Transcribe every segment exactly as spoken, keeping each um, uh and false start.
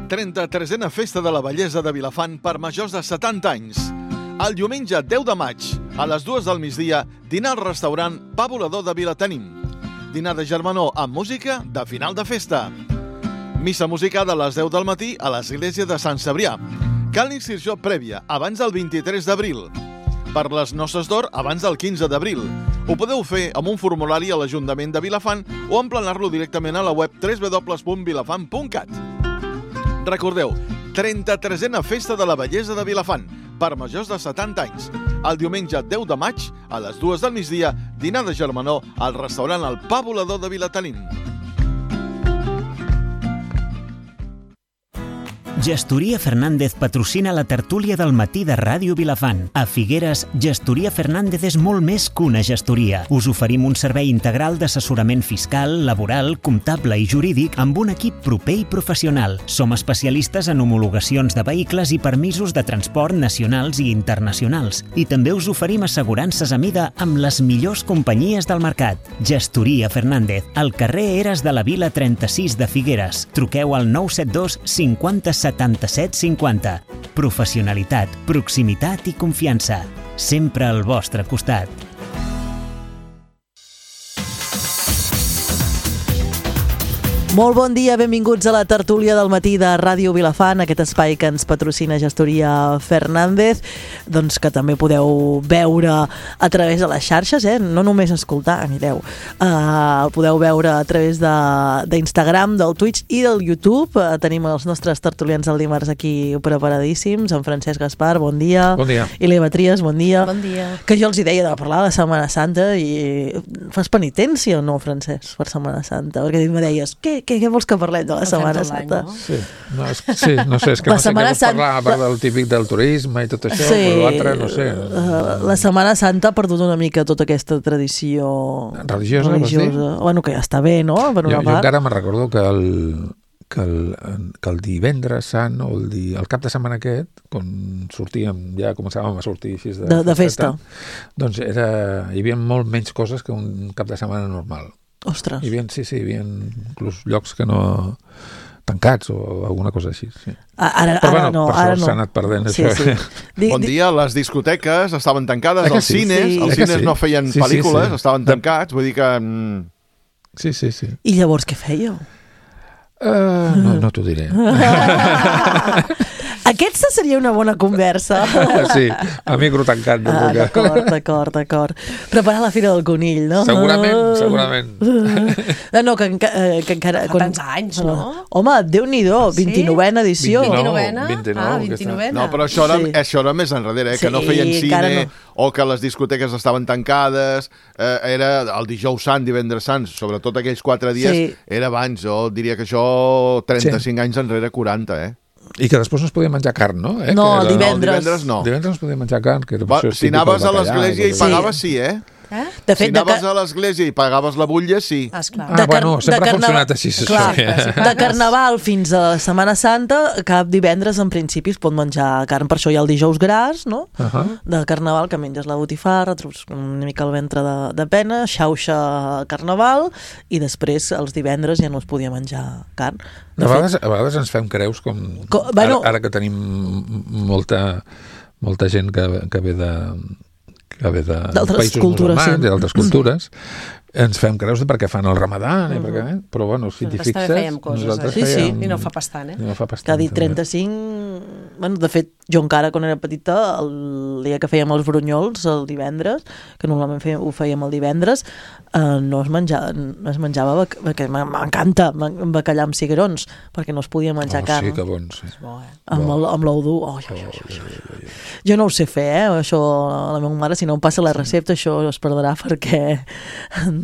trenta-tresena Festa de la Bellesa de Vilafant per majors de setanta anys. El diumenge deu de maig, a les dues del migdia, dinar al restaurant Pa Volador de Vilatenim. Dinar de germanor amb música de final de festa. Missa musicada a les deu del matí a l'església de Sant Cebrià. Cal inscripció prèvia, abans del vint-i-tres d'abril. Per les noces d'or, abans del quinze d'abril. Ho podeu fer amb un formulari a l'Ajuntament de Vilafant o emplenar-lo directament a la web w w w punt vilafant punt cat. Recordeu, trenta-tresena Festa de la Bellesa de Vilafant, per majors de setanta anys. El diumenge deu de maig, a les dues del migdia, dinar de germanor al restaurant El Pa Volador de Vilatenim. Gestoria Fernández patrocina la tertúlia del matí de Ràdio Vilafant. A Figueres, Gestoria Fernández és molt més que una gestoria. Us oferim un servei integral d'assessorament fiscal, laboral, comptable i jurídic amb un equip proper i professional. Som especialistes en homologacions de vehicles i permisos de transport nacionals i internacionals. I també us oferim assegurances a mida amb les millors companyies del mercat. Gestoria Fernández, al carrer Eres de la Vila trenta-sis de Figueres. Truqueu al nou set dos cinquanta setanta-set cinquanta. Professionalitat, proximitat i confiança. Sempre al vostre costat. Molt bon dia, benvinguts a la tertúlia del matí de Ràdio Vilafant, aquest espai que ens patrocina Gestoria Fernández, doncs que també podeu veure a través de les xarxes, eh? No només escoltar, mireu. Uh, el podeu veure a través d'Instagram, de, del Twitch i del YouTube. Uh, tenim els nostres tertulians del dimarts aquí preparadíssims. En Francesc Gaspar, bon dia. Bon dia. I l'Eva Trias, bon dia. Bon dia. Que jo els hi deia de parlar de Setmana Santa i fas penitència o no, Francesc, per Setmana Santa? Perquè em deies, què, què, què vols que parlem de la El Setmana fem tot l'any, Santa? no? Sí, no, és, sí, no sé, és que La no sé què Setmana vols parlar, Santa- a part del típic del turisme i tot això, Sí. però l'altre, no sé. Uh, la Setmana Santa ha perdut una mica tota aquesta tradició Religiosa, vols dir? Bueno, que ja està bé, no? Per una Jo, jo part. encara me'n recordo que el, que el, que el divendres sant o el, di, el cap de setmana aquest, quan sortíem, ja començàvem a sortir així de, De- de festa. doncs era, hi havia molt menys coses que un cap de setmana normal. Ostres. Hi havia, sí, sí, hi havia inclús llocs que no tancats o alguna cosa així. Sí. Ara, Però ara bueno, no, per ara sort no. s'ha anat perdent Sí, això. sí. Di, Bon di- dia, les discoteques estaven tancades, Eh que els sí? cines, Sí. els Eh que cines sí? no feien Sí, sí, pel·lícules, sí. estaven De- tancats, vull dir que... mm, Sí, sí, sí. I llavors què fèieu? Uh, no no t'ho diré. Aquesta seria una bona conversa. Sí, a micro tancat. No Ah, puc- d'acord, d'acord, d'acord. Preparar la Fira del Conill, no? Segurament, segurament. No, no, que, enca eh, que encara... Fa tants anys, no? Home, Déu-n'hi-do, Sí? vint-i-novena edició. vint-i-nou. vint-i-novena? vint-i-nou, Ah, aquesta. vint-i-novena. No, però això era, Sí. això era més enrere, eh? que Sí, no feien encara cine no. o que les discoteques estaven tancades. Eh, era el dijous sant, divendres sant, sobretot aquells quatre dies, Sí. era abans. Jo diria que això trenta-cinc anys enrere, quaranta, eh? I que després no es podia menjar carn, no? Eh? No, que el era- divendres. No, divendres no. Divendres no es podia menjar carn, que era Va, això és si típic anaves del a bacallà l'església i tot pagaves, això. sí, eh? Eh? De Si fet, de, anaves ca- a l'església i pagaves la butlla, sí. Ah, esclar. Ah, de car- bueno, sempre de ha carnaval- funcionat així, això. Clar, Sí. de Carnaval fins a la Setmana Santa, cap divendres en principi es pot menjar carn, per això hi ha el dijous gras, no? Uh -huh. De Carnaval, que menges la botifarra, trobes una mica el ventre de, de pena, xauxa Carnaval, i després els divendres ja no es podia menjar carn. De A fet, vegades, a vegades ens fem creus com... Co- bueno- ara, ara que tenim molta, molta gent que, que ve de que ve de D'altres països cultures, musulmans sí. i d'altres cultures, ens fem creus de perquè fan el ramadà, i perquè, però bueno, si t'hi Nosaltres també fixes, fèiem coses, nosaltres eh? Sí, sí. fèiem... I no fa bastant, eh? I no fa que ha bastant. dit també. trenta-cinc... Bueno, de fet, jo encara, quan era petita, el dia que fèiem els brunyols, el divendres, que normalment fèiem, ho fèiem el divendres, eh, no es menjava, no es menjava bac- perquè m'encanta bacallà amb cigrons, perquè no es podia menjar Oh, carn. sí, que bon, sí. És bo, eh? Amb, el, amb l'ou dur. Oh, oh, oh, oh, oh. Jo no ho sé fer, eh? Això, la meva mare, si no em passa la recepta, això es perdrà perquè...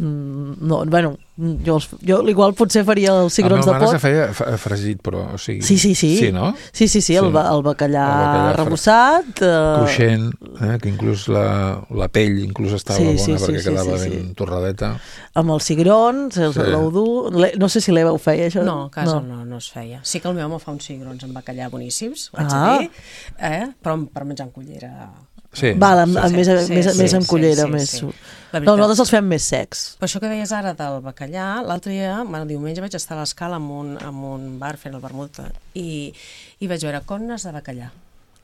No, bueno, jo, els- jo igual potser faria els cigrons La de meva mare pot. se feia fa- fregit, però, o sigui... Sí, sí, sí. Sí, no? Sí, sí, sí, el, Sí. ba- el bacallà, El bacallà arrebossat. Eh, Cruixent, eh? Que inclús la, la pell inclús estava Sí, bona sí, sí, perquè sí, quedava sí, ben sí. torradeta. amb els cigrons, els Sí. sí. l'ou dur. Le- No sé si l'Eva ho feia, això. No, a casa no. no, no es feia. Sí que el meu home fa uns cigrons amb bacallà boníssims, ho haig Ah. de dir, eh? Però per menjar en cullera Sí. Val, amb, amb Sí, més, sí, més, sí, més en sí, cullera, sí, més... sí. No, La veritat. nosaltres els fem més secs. Per això que deies ara del bacallà, l'altre dia, bueno, diumenge vaig estar a l'Escala amb un, amb un bar fent el vermut i, i vaig veure connes de bacallà.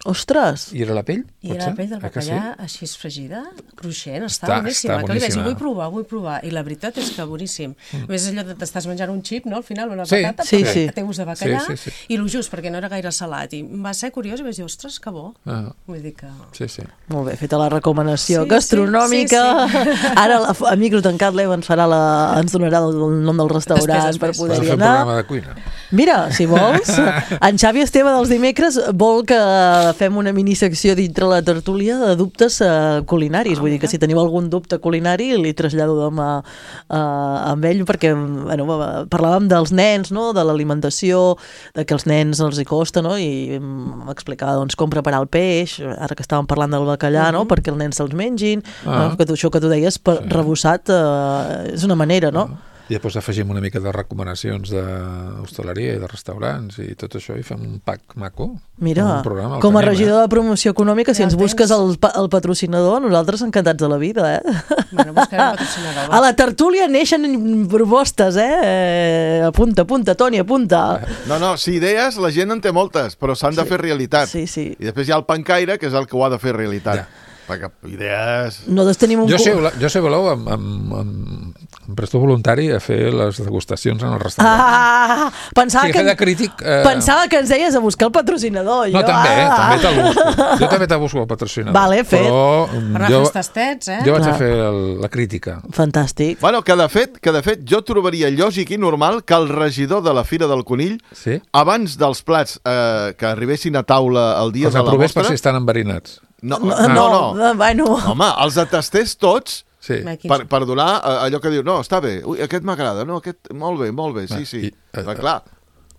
Ostres! Mm. I era la pell? I era la pell del Ah, que sí? bacallà així fregida, cruixent, està, Està- boníssima. està Que li vaig dir, boníssima. vull provar, vull provar. I la veritat és que boníssim. Mm. A més, allò de t'estàs menjant un xip, no?, al final, una Sí, patata, sí, però sí. que té gust de bacallà, Sí, sí, sí. i lo just, perquè no era gaire salat. I em va ser curiós i vaig dir, ostres, que bo. Ah, Vull dir que... sí, sí. Molt bé, feta la recomanació Sí, gastronòmica. sí, sí, Ara, la, a micro tancat, l'Eva ens, farà la, ens donarà el nom del restaurant Després, per després. poder Podem hi fer un anar. programa de cuina. Mira, si vols, en Xavi Esteve dels dimecres vol que fem una minisecció dintre la tertúlia de dubtes uh, culinaris. Ah, Vull dir que si teniu algun dubte culinari li trasllado demà uh, amb ell, perquè bueno, parlàvem dels nens, no?, de l'alimentació, de que als nens els hi costa, no?, i m'explicava doncs, com preparar el peix, ara que estàvem parlant del bacallà, no?, perquè els nens se'ls mengin, Ah. no? que tu, això que tu deies, per, Sí. rebossat, uh, és una manera, no? I després afegim una mica de recomanacions d'hostaleria i de restaurants i tot això i fem un pack maco. Mira, un programa, el com a tenim, regidor de promoció econòmica, si Ja ens el busques tens. el, pa- el patrocinador, nosaltres encantats de la vida, eh? Bueno, buscarem patrocinador. A la tertúlia neixen propostes, eh? eh? Apunta, apunta, Toni, apunta. No, no, si idees, la gent en té moltes, però s'han de fer realitat. Sí, sí. I després hi ha el pancaire, que és el que ho ha de fer realitat. Ja. Perquè idees... Nosaltres tenim un... Jo, cu- sé, jo sé, voleu, em, em, em, em presto voluntari a fer les degustacions en el restaurant. Ah, pensava, Sí, que, fer de crític... Eh... pensava que ens deies a buscar el patrocinador. No, jo, també, eh, ah. també te'l busco. Jo també te busco el patrocinador. Vale, fet. Però mm, Per anar jo, a fer els tastets, eh? jo vaig Clar. a fer el, la crítica. Fantàstic. Bueno, que de fet, que de fet jo trobaria lògic i normal que el regidor de la Fira del Conill, Sí? abans dels plats eh, que arribessin a taula el dia Els de la aprovés per mostra... si estan enverinats. No, No, no, no. no. Bueno, Home, els atestés tots Sí. Va, quins- per, per donar eh, allò que diu, no, està bé, ui, aquest m'agrada, no, aquest, molt bé, molt bé, sí, Va, sí. i, eh, Però, clar,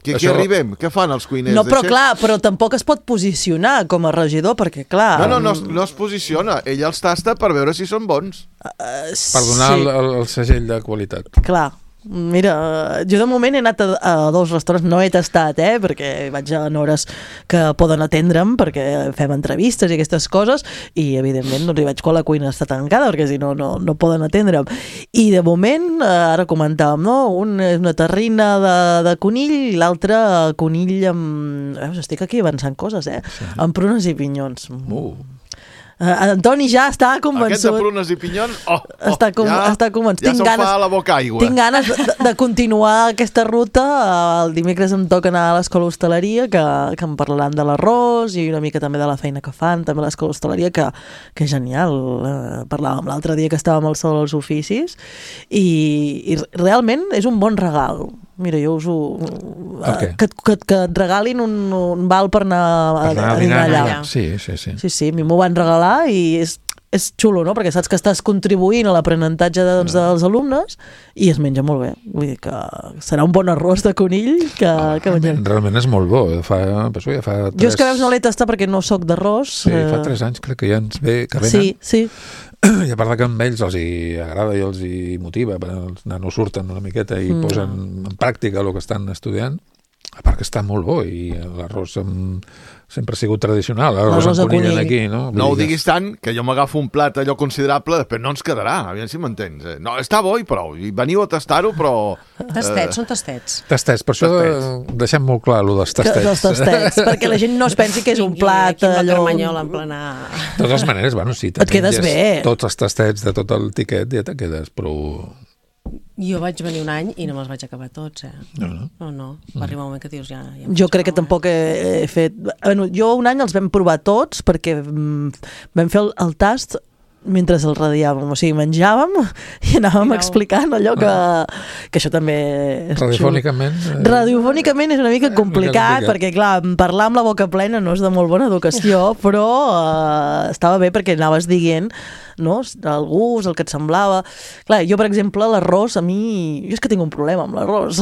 què, això- què arribem? Què fan els cuiners? no, però Deixem- clar, però tampoc es pot posicionar com a regidor, perquè clar... No, no, no, es- no es posiciona. Ell els tasta per veure si són bons. eh, Per donar sí. el, el, el segell de qualitat. Clar, mira, jo de moment he anat a, a dos restaurants, no he tastat, eh, perquè vaig en hores que poden atendre'm, perquè fem entrevistes i aquestes coses, i evidentment no hi vaig quan la cuina està tancada, perquè si no, no, no poden atendre'm. I de moment, eh, ara comentàvem, no? Un, una terrina de, de conill i l'altre conill amb... Veus, estic aquí avançant coses, eh? Sí. Amb prunes i pinyons. Uh. Uh, Antoni ja està Aquest de convençut. prunes i pinyons, oh, oh Està com- ja, està convençut. ja Tinc se'm ganes- fa a la boca aigua. Tinc ganes de, de continuar aquesta ruta. El dimecres em toca anar a l'escola hostaleria, que, que em parlaran de l'arròs i una mica també de la feina que fan, també a l'escola hostaleria, que, que és genial. Eh, parlàvem l'altre dia que estàvem al Sol als Oficis i, i realment és un bon regal. Mira, jo us ho... El què? Que, que, que et regalin un, un val per anar, a, Per anar a dinar allà. allà. Sí, sí, sí. Sí, sí, a mi m'ho van regalar i és, és xulo, no? Perquè saps que estàs contribuint a l'aprenentatge de, doncs, dels alumnes i es menja molt bé. Vull dir que serà un bon arròs de conill que, que mengem. Realment és molt bo. Fa, penso, ja fa tres... Jo és que veus no l'he tastat perquè no sóc d'arròs. Sí, fa eh, tres anys crec que ja ens ve, que venen. Sí, sí. I a part que amb ells els hi agrada i els hi motiva, els nanos surten una miqueta i mm. posen en pràctica el que estan estudiant, a part que està molt bo i l'arròs amb... sempre ha sigut tradicional, l'arròs L'arròs de amb conill conill. aquí, no? Vull No ho dir que- diguis tant, que jo m'agafo un plat allò considerable, després no ens quedarà, aviam si m'entens. eh. No, està bo i prou, i veniu a tastar-ho, però... Tastets, són tastets. Tastets, per això Tastets. deixem molt clar allò dels Que, tastets. dels tastets, perquè la gent no es pensi que és un Vingui plat aquí amb la allò... carmanyola en plena... De totes maneres, bueno, si te Et quedes menges bé. tots els tastets de tot el tiquet, ja te quedes prou... Jo vaig venir un any i no me'ls vaig acabar tots, eh? No, no. No, no. Va arribar un moment que dius ja... ja em Jo faig crec que prou, tampoc he, he fet... Bueno, jo un any els vam provar tots perquè mm, vam fer el, el tast mentre el radiàvem, o sigui, menjàvem i anàvem Mireu. explicant allò que, que això també és xulo. Radiofònicament... eh, Radiofònicament és una mica complicat, complicat. perquè clar, parlar amb la boca plena no és de molt bona educació, però eh, estava bé perquè anaves dient, no?, el gust, el que et semblava. Clar, jo, per exemple, l'arròs, a mi... Jo és que tinc un problema amb l'arròs.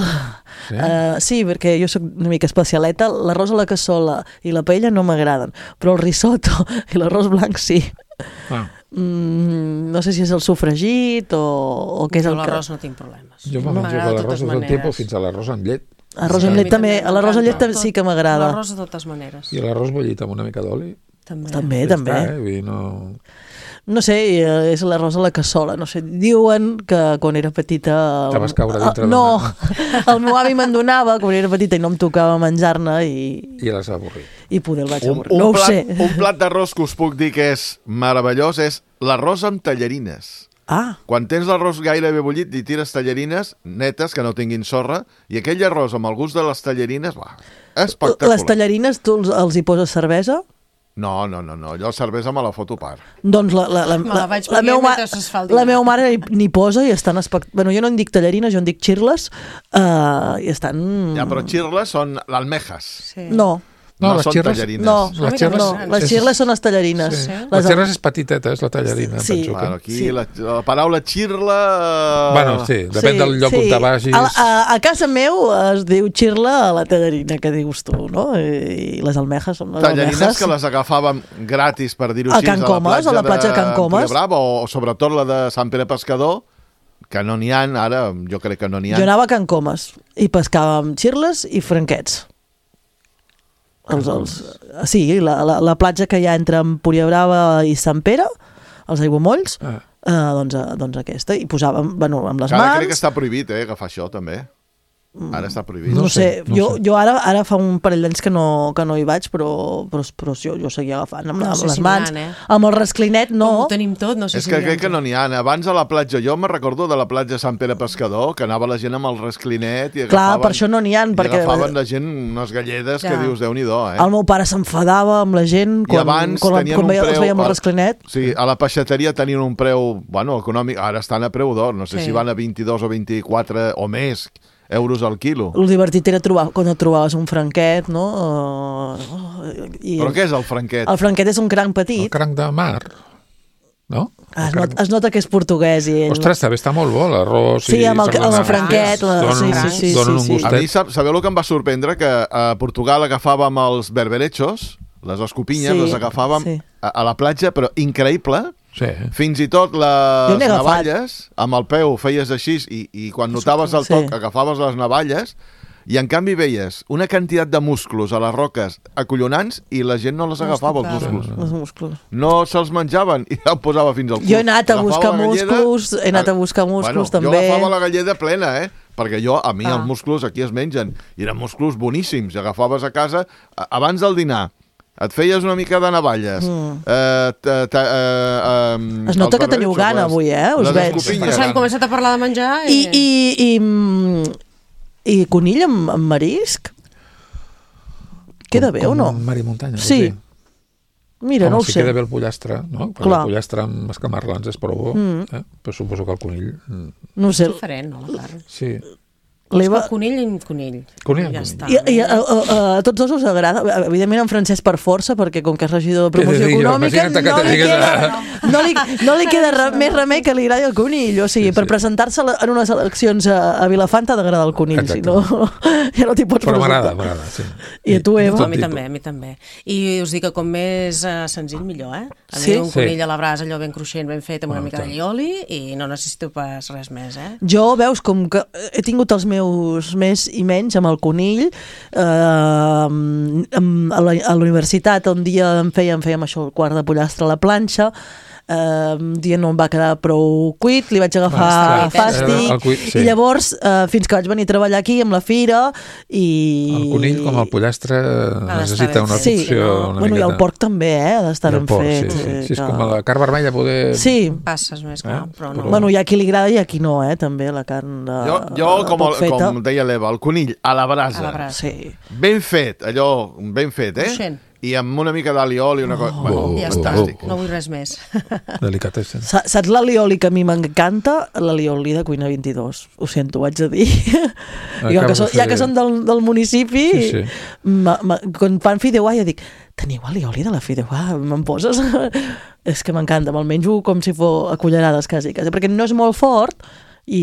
Sí? Uh, sí, perquè jo sóc una mica especialeta. L'arròs a la cassola i la paella no m'agraden, però el risotto i l'arròs blanc sí. Ah, Mm, no sé si és el sofregit o, o què és Jo el que... l'arròs no tinc problemes. jo me'n menjo M'agrada de l'arròs totes de tot maneres. tipus fins a l'arròs amb llet. Arròs Sí, amb a llet mi també. també L'arròs amb llet m'encanta. sí que m'agrada. L'arròs de totes maneres. I l'arròs bullit amb una mica d'oli. També. També, Ja també. està, eh? Vull dir, no... No sé, eh, és l'arròs a la cassola, no sé. Diuen que quan era petita... el- Te vas caure dintre el- d'una- No, el meu avi me'n donava quan era petita i no em tocava menjar-ne i, I les avorrit. i poder el vaig Un, avorrir. un, No ho plat, sé. un plat d'arròs que us puc dir que és meravellós és l'arròs amb tallarines. Ah, Quan tens l'arròs gairebé bullit, hi tires tallarines netes, que no tinguin sorra, i aquell arròs amb el gust de les tallarines, va, espectacular. les tallarines tu els, els hi poses cervesa? No, no, no, no, allò cervesa me la foto a part. Doncs la, la, la, Me la la, vaig la, beure meu ma- mentre es fa el la dinar. meva mare hi- n'hi posa i estan espect... Bueno, jo no en dic tallarines, jo en dic xirles, uh, i estan... Ja, però xirles són l'almejas. Sí. No, No, no les són xirles... tallarines. no, Les xirles- no, les és- xirles són les tallarines. Sí. Les, Les xirles és petiteta, és la tallarina, Sí. penso. Bueno, Que... aquí Sí. la, la paraula xirla... eh, Bueno, sí, depèn del lloc on te vagis. A, a, a casa meu es diu xirla a la tallarina que dius tu, no? I les almejas són les Tallarines almejas. que les agafàvem gratis, per dir-ho A així, Can Comas, a la platja de Can Comas. Brava, o sobretot la de Sant Pere Pescador, que no n'hi ha, ara jo crec que no n'hi ha. Jo anava a Can Comas i pescàvem xirles i franquets. Els, els, sí, la, la, la platja que hi ha entre Empúria Brava i Sant Pere, els aiguamolls, Ah. eh, doncs, eh, doncs aquesta. I posàvem, bueno, amb les Ara mans... crec que està prohibit, eh, agafar això, també. Ara està prohibit. No, No sé, sé, no jo, sé. jo ara, ara fa un parell d'anys que, no, que no hi vaig, però, però, però jo, jo seguia agafant amb, No amb sé les si n'hi mans. ha, eh? Amb el rasclinet, no. Com ho tenim tot, no sé És si que n'hi ha crec que tot. no n'hi ha. Abans a la platja, jo me recordo de la platja Sant Pere Pescador, que anava la gent amb el rasclinet i Clar, agafaven... per això no n'hi ha, I perquè agafaven la gent unes galledes Ja. que dius, Déu-n'hi-do, eh? el meu pare s'enfadava amb la gent I quan, abans quan, tenien quan un veia, els preu... veia amb el rasclinet. Sí, a la peixateria tenien un preu, bueno, econòmic, ara estan a preu d'or, no sé Sí. si van a vint-i-dos o vint-i-quatre o més euros al quilo. El divertit era trobar, quan et trobaves un franquet, no? Uh, i Però què és el franquet? El franquet és un cranc El petit. cranc de mar, no? Es, El not, es nota que és portuguès. I ell... Ostres, també està molt bo l'arròs. Sí, i amb el- sardanes. amb el franquet, la- Donen, sí, sí, sí, donen sí, un sí. A gustet. mi, sab, sabeu el que em va sorprendre? Que a Portugal agafàvem els berberechos, les escopinyes, Sí, les agafàvem sí. a, a la platja, però increïble. Sí. Fins i tot Jo les n'he agafat. navalles, amb el peu feies així i, i quan notaves el toc Sí. agafaves les navalles i en canvi veies una quantitat de musclos a les roques acollonants i la gent no les No es agafava, els tocava. musclos. Els musclos. No se'ls menjaven i el posava fins al cul. Jo he anat a Agafava buscar la galleda- musclos, he anat a buscar musclos, bueno, també. Jo agafava la galleda plena, eh? Perquè jo, a mi, Ah. els musclos aquí es mengen. I eren musclos boníssims. I agafaves a casa, a- abans del dinar, et feies una mica de navalles. Mm. Eh, ta, ta, eh, eh, Es nota els que teniu barberechos, gana les- avui, eh? Us les veig. Però escopinyes. s'han començat a parlar de menjar I, i... i, i, mm, i conill amb, amb marisc? Queda bé o no? Mar i muntanya. Sí. vols dir? Mira, Home, no ho si sé. queda bé el pollastre, no? Perquè Clar. el pollastre amb escamarlans és prou bo, mm. eh? Però suposo que el conill... mm, No ho sé. És diferent, no, la carn? Sí. L'Eva... El conill i conill. Conill, Ja conill. està. I, i a, a, a, a tots dos us agrada? Evidentment en Francesc per força, perquè com que és regidor de promoció Què dic jo? econòmica, Imagina't que no te li, digués queda, a- no li, no li queda re, més remei que li agradi el conill. O sigui, Sí, per sí. presentar-se en unes eleccions a, a Vilafant t'ha d'agradar el conill, si no, ja no t'hi pots Però m'agrada, presentar. m'agrada, sí. I a tu, Eva? No, Tot a mi tipus. també, a mi també. I us dic que com més uh, senzill, millor, eh? A Sí? mi un Sí. conill a la brasa, allò ben cruixent, ben fet, amb una Ah, mica tant. d'allioli, i no necessito pas res més, eh? Jo, veus, com que he tingut els meus més i menys amb el conill, eh, amb- a la, a la universitat un dia em fèiem, fèiem això, el quart de pollastre a la planxa, eh, un dia no em va quedar prou cuit, li vaig agafar Ah, està fàstic, cuit, eh? El cuit, sí. i llavors, eh, fins que vaig venir a treballar aquí amb la fira, i... El conill, com el pollastre, d'estar necessita ben una fet. Sí, cocció no? una bueno, i miqueta. el porc també, eh, ha d'estar I el ben porc, fet. Sí, sí. eh, sí, és que- com la carn vermella, poder... Sí, Passes més, clar, Eh? però no. Però- bueno, hi ha qui li agrada i a qui no, eh, també, la carn de, Jo, jo com, poc el, feta. com deia l'Eva, el conill a la brasa. A la brasa. Sí. Ben fet, allò, ben fet, eh? Cruixent. I amb una mica d'aliol i una cosa... Bueno, Oh, Ja oh, està, fantàstic. no vull res més. Delicatessen. Sa- Saps l'alioli que a mi m'encanta? L'alioli de Cuina vint-i-dos. Ho sento, ho haig de dir. Acabo Jo, que de so, fer- ja que són del, del municipi, Sí, sí. ma, ma, quan fan fideuà jo dic, teniu alioli de la fideuà? Me'n poses? És que m'encanta, me'l menjo com si fos a cullerades quasi, quasi, perquè no és molt fort i,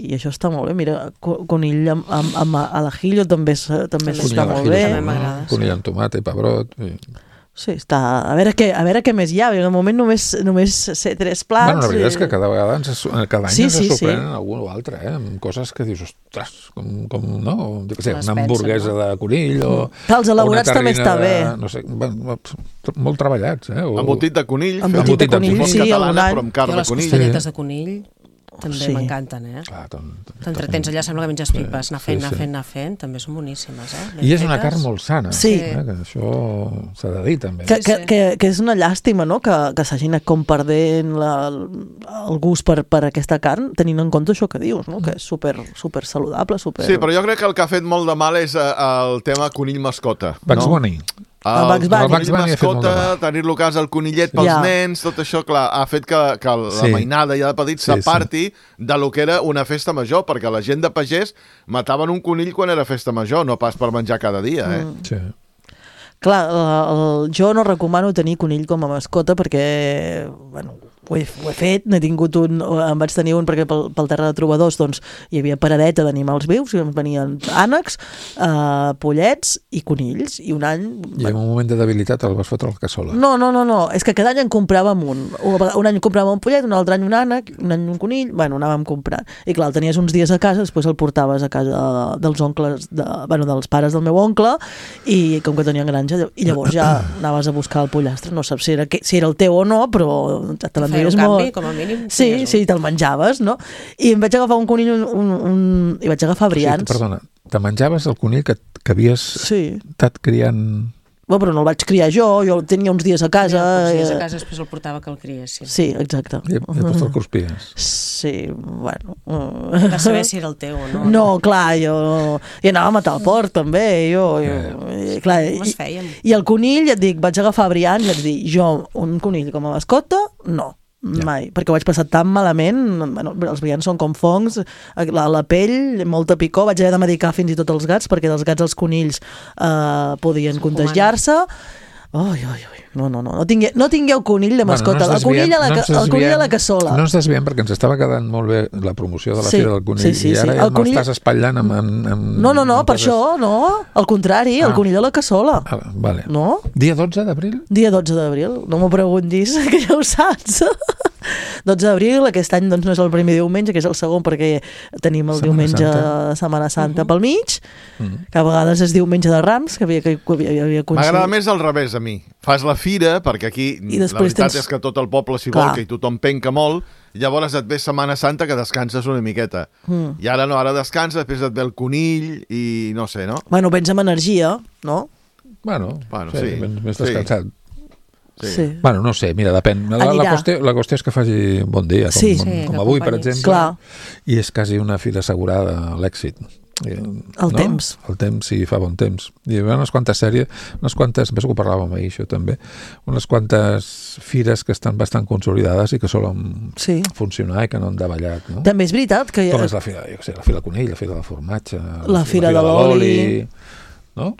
i això està molt bé. Mira, co- conill amb, amb, amb a l'ajillo també, és- també Conill està a molt l'ajillo bé. també m'agrada, sí. Conill amb tomata i pebrot. I... Sí, està... A veure què, a veure què més hi ha. De moment només, només sé tres plats. Bueno, la veritat i... és que cada vegada ens, cada any Sí, ens sí, sorprenen sí. algun o altre, eh? Amb coses que dius, ostres, com, com no? Jo què sé, Les una pensen, hamburguesa no? de conill o... Clar, els elaborats o una també està terrina bé. de, no sé, bueno, molt treballats, eh? O... Embotit de conill. Embotit de conill, com sí, catalana, algun any. però amb carn Jo de les conill. costelletes de conill també Sí. m'encanten, eh? Clar, ton, ton, T'entretens allà, sembla que menges pipes, anar fent, anar fent, anar fent, també són boníssimes, eh? Ben I és una fetes. carn molt sana, Sí. eh? Que això s'ha de dir també. Que, que, sí. que, que és una llàstima, no?, que, que s'hagi anat com perdent la, el gust per, per aquesta carn, tenint en compte això que dius, no?, que és super, super saludable, super... Sí, però jo crec que el que ha fet molt de mal és eh, el tema conill mascota. Bugs no? Bunny. El Bugs Bunny. El El Bugs Bunny ha fet molt de mascota, mal. tenir-lo a casa, el conillet pels Ja. nens, tot això, clar, ha fet que, que la Sí. mainada ja de petit Sí, s'aparti de lo que era una festa major, perquè la gent de pagès mataven un conill quan era festa major, no pas per menjar cada dia, eh? Mm. Sí. Clar, el, el, jo no recomano tenir conill com a mascota perquè, bueno, ho he, ho he fet, n'he tingut un, em vaig tenir un perquè pel, pel terra de trobadors doncs, hi havia paradeta d'animals vius i ens venien ànecs, eh, pollets i conills, i un any... I en un moment de debilitat el vas fotre al cassola. No, no, no, no, és que cada any en compràvem un. Un any compràvem un pollet, un altre any un ànec, un any un conill, bueno, anàvem comprant. I clar, el tenies uns dies a casa, després el portaves a casa dels oncles, de, bueno, dels pares del meu oncle, i com que tenien granja, i llavors ja anaves a buscar el pollastre, no saps si era, que, si era el teu o no, però te Feia l'enduies un molt... canvi, com a mínim. Sí, tenies un. sí, te'l menjaves, no? I em vaig agafar un conill, un, un, un... i vaig agafar O sigui, brians. perdona, te menjaves el conill que, que havies Sí. estat criant... Bueno, però no el vaig criar jo, jo el tenia uns dies a casa. Ja, dies eh, a casa després el portava que el criessin. Sí, exacte. i, i després te'l cruspies. Sí, bueno... Va saber si era el teu o no. No, clar, jo... I anava a matar el porc, també, jo... jo i, clar, Com es i, fèiem? I el conill, et dic, vaig agafar brians i vaig dir, jo, un conill com a mascota, no. Ja. Mai, perquè ho vaig passar tan malament, bueno, els brians són com fongs, la, la pell, molta picor, vaig haver de medicar fins i tot els gats, perquè dels gats als conills eh, podien contagiar-se. Ui, ui, ui, no, no, no, no, tingueu, no tingueu conill de mascota, Bueno, no ens el, conill a la, desviem- no ca- ens el conill a la desviem- cassola. No ens desviem perquè ens estava quedant molt bé la promoció de la Sí, Fira del Conill sí, sí, i ara sí. ja El conill- m'estàs espatllant amb, amb, amb... No, no, no, amb per coses- això, no, al contrari, el Ah. conill a la cassola. Ah, vale. No? Dia dotze d'abril? Dia dotze d'abril, no m'ho preguntis, que ja ho saps. dotze d'abril, aquest any doncs, no és el primer diumenge, que és el segon, perquè tenim el Setmana diumenge Santa. de Setmana Santa pel mig, Mm. que a vegades és diumenge de Rams, que havia, que havia, havia M'agrada més al revés a mi. Fas la fira, perquè aquí I la després veritat tens- és que tot el poble s'hi Clar. volca i tothom penca molt, llavors et ve Setmana Santa que descanses una miqueta. Mm. I ara no, ara descanses, després et ve el conill i no sé, no? Bueno, vens amb energia, no? Bueno, Bueno, sí, sí. més, més Sí. descansat. Sí. Bueno, no sé, mira, depèn. La, la, Anirà. qüestió, la qüestió és que faci bon dia, com, Sí. com, Sí, com que avui, per acompanyis. exemple. Clar. I és quasi una fira assegurada a l'èxit. I, El temps. El temps, sí, fa bon temps. I hi ha unes quantes sèries, unes quantes, penso que ho parlàvem ahir, això també, unes quantes fires que estan bastant consolidades i que solen Sí. funcionar i que no han davallat, no? També és veritat que... Com és la fira, jo què sé, la fira del conill, la fira del formatge, La fira de l'oli. no?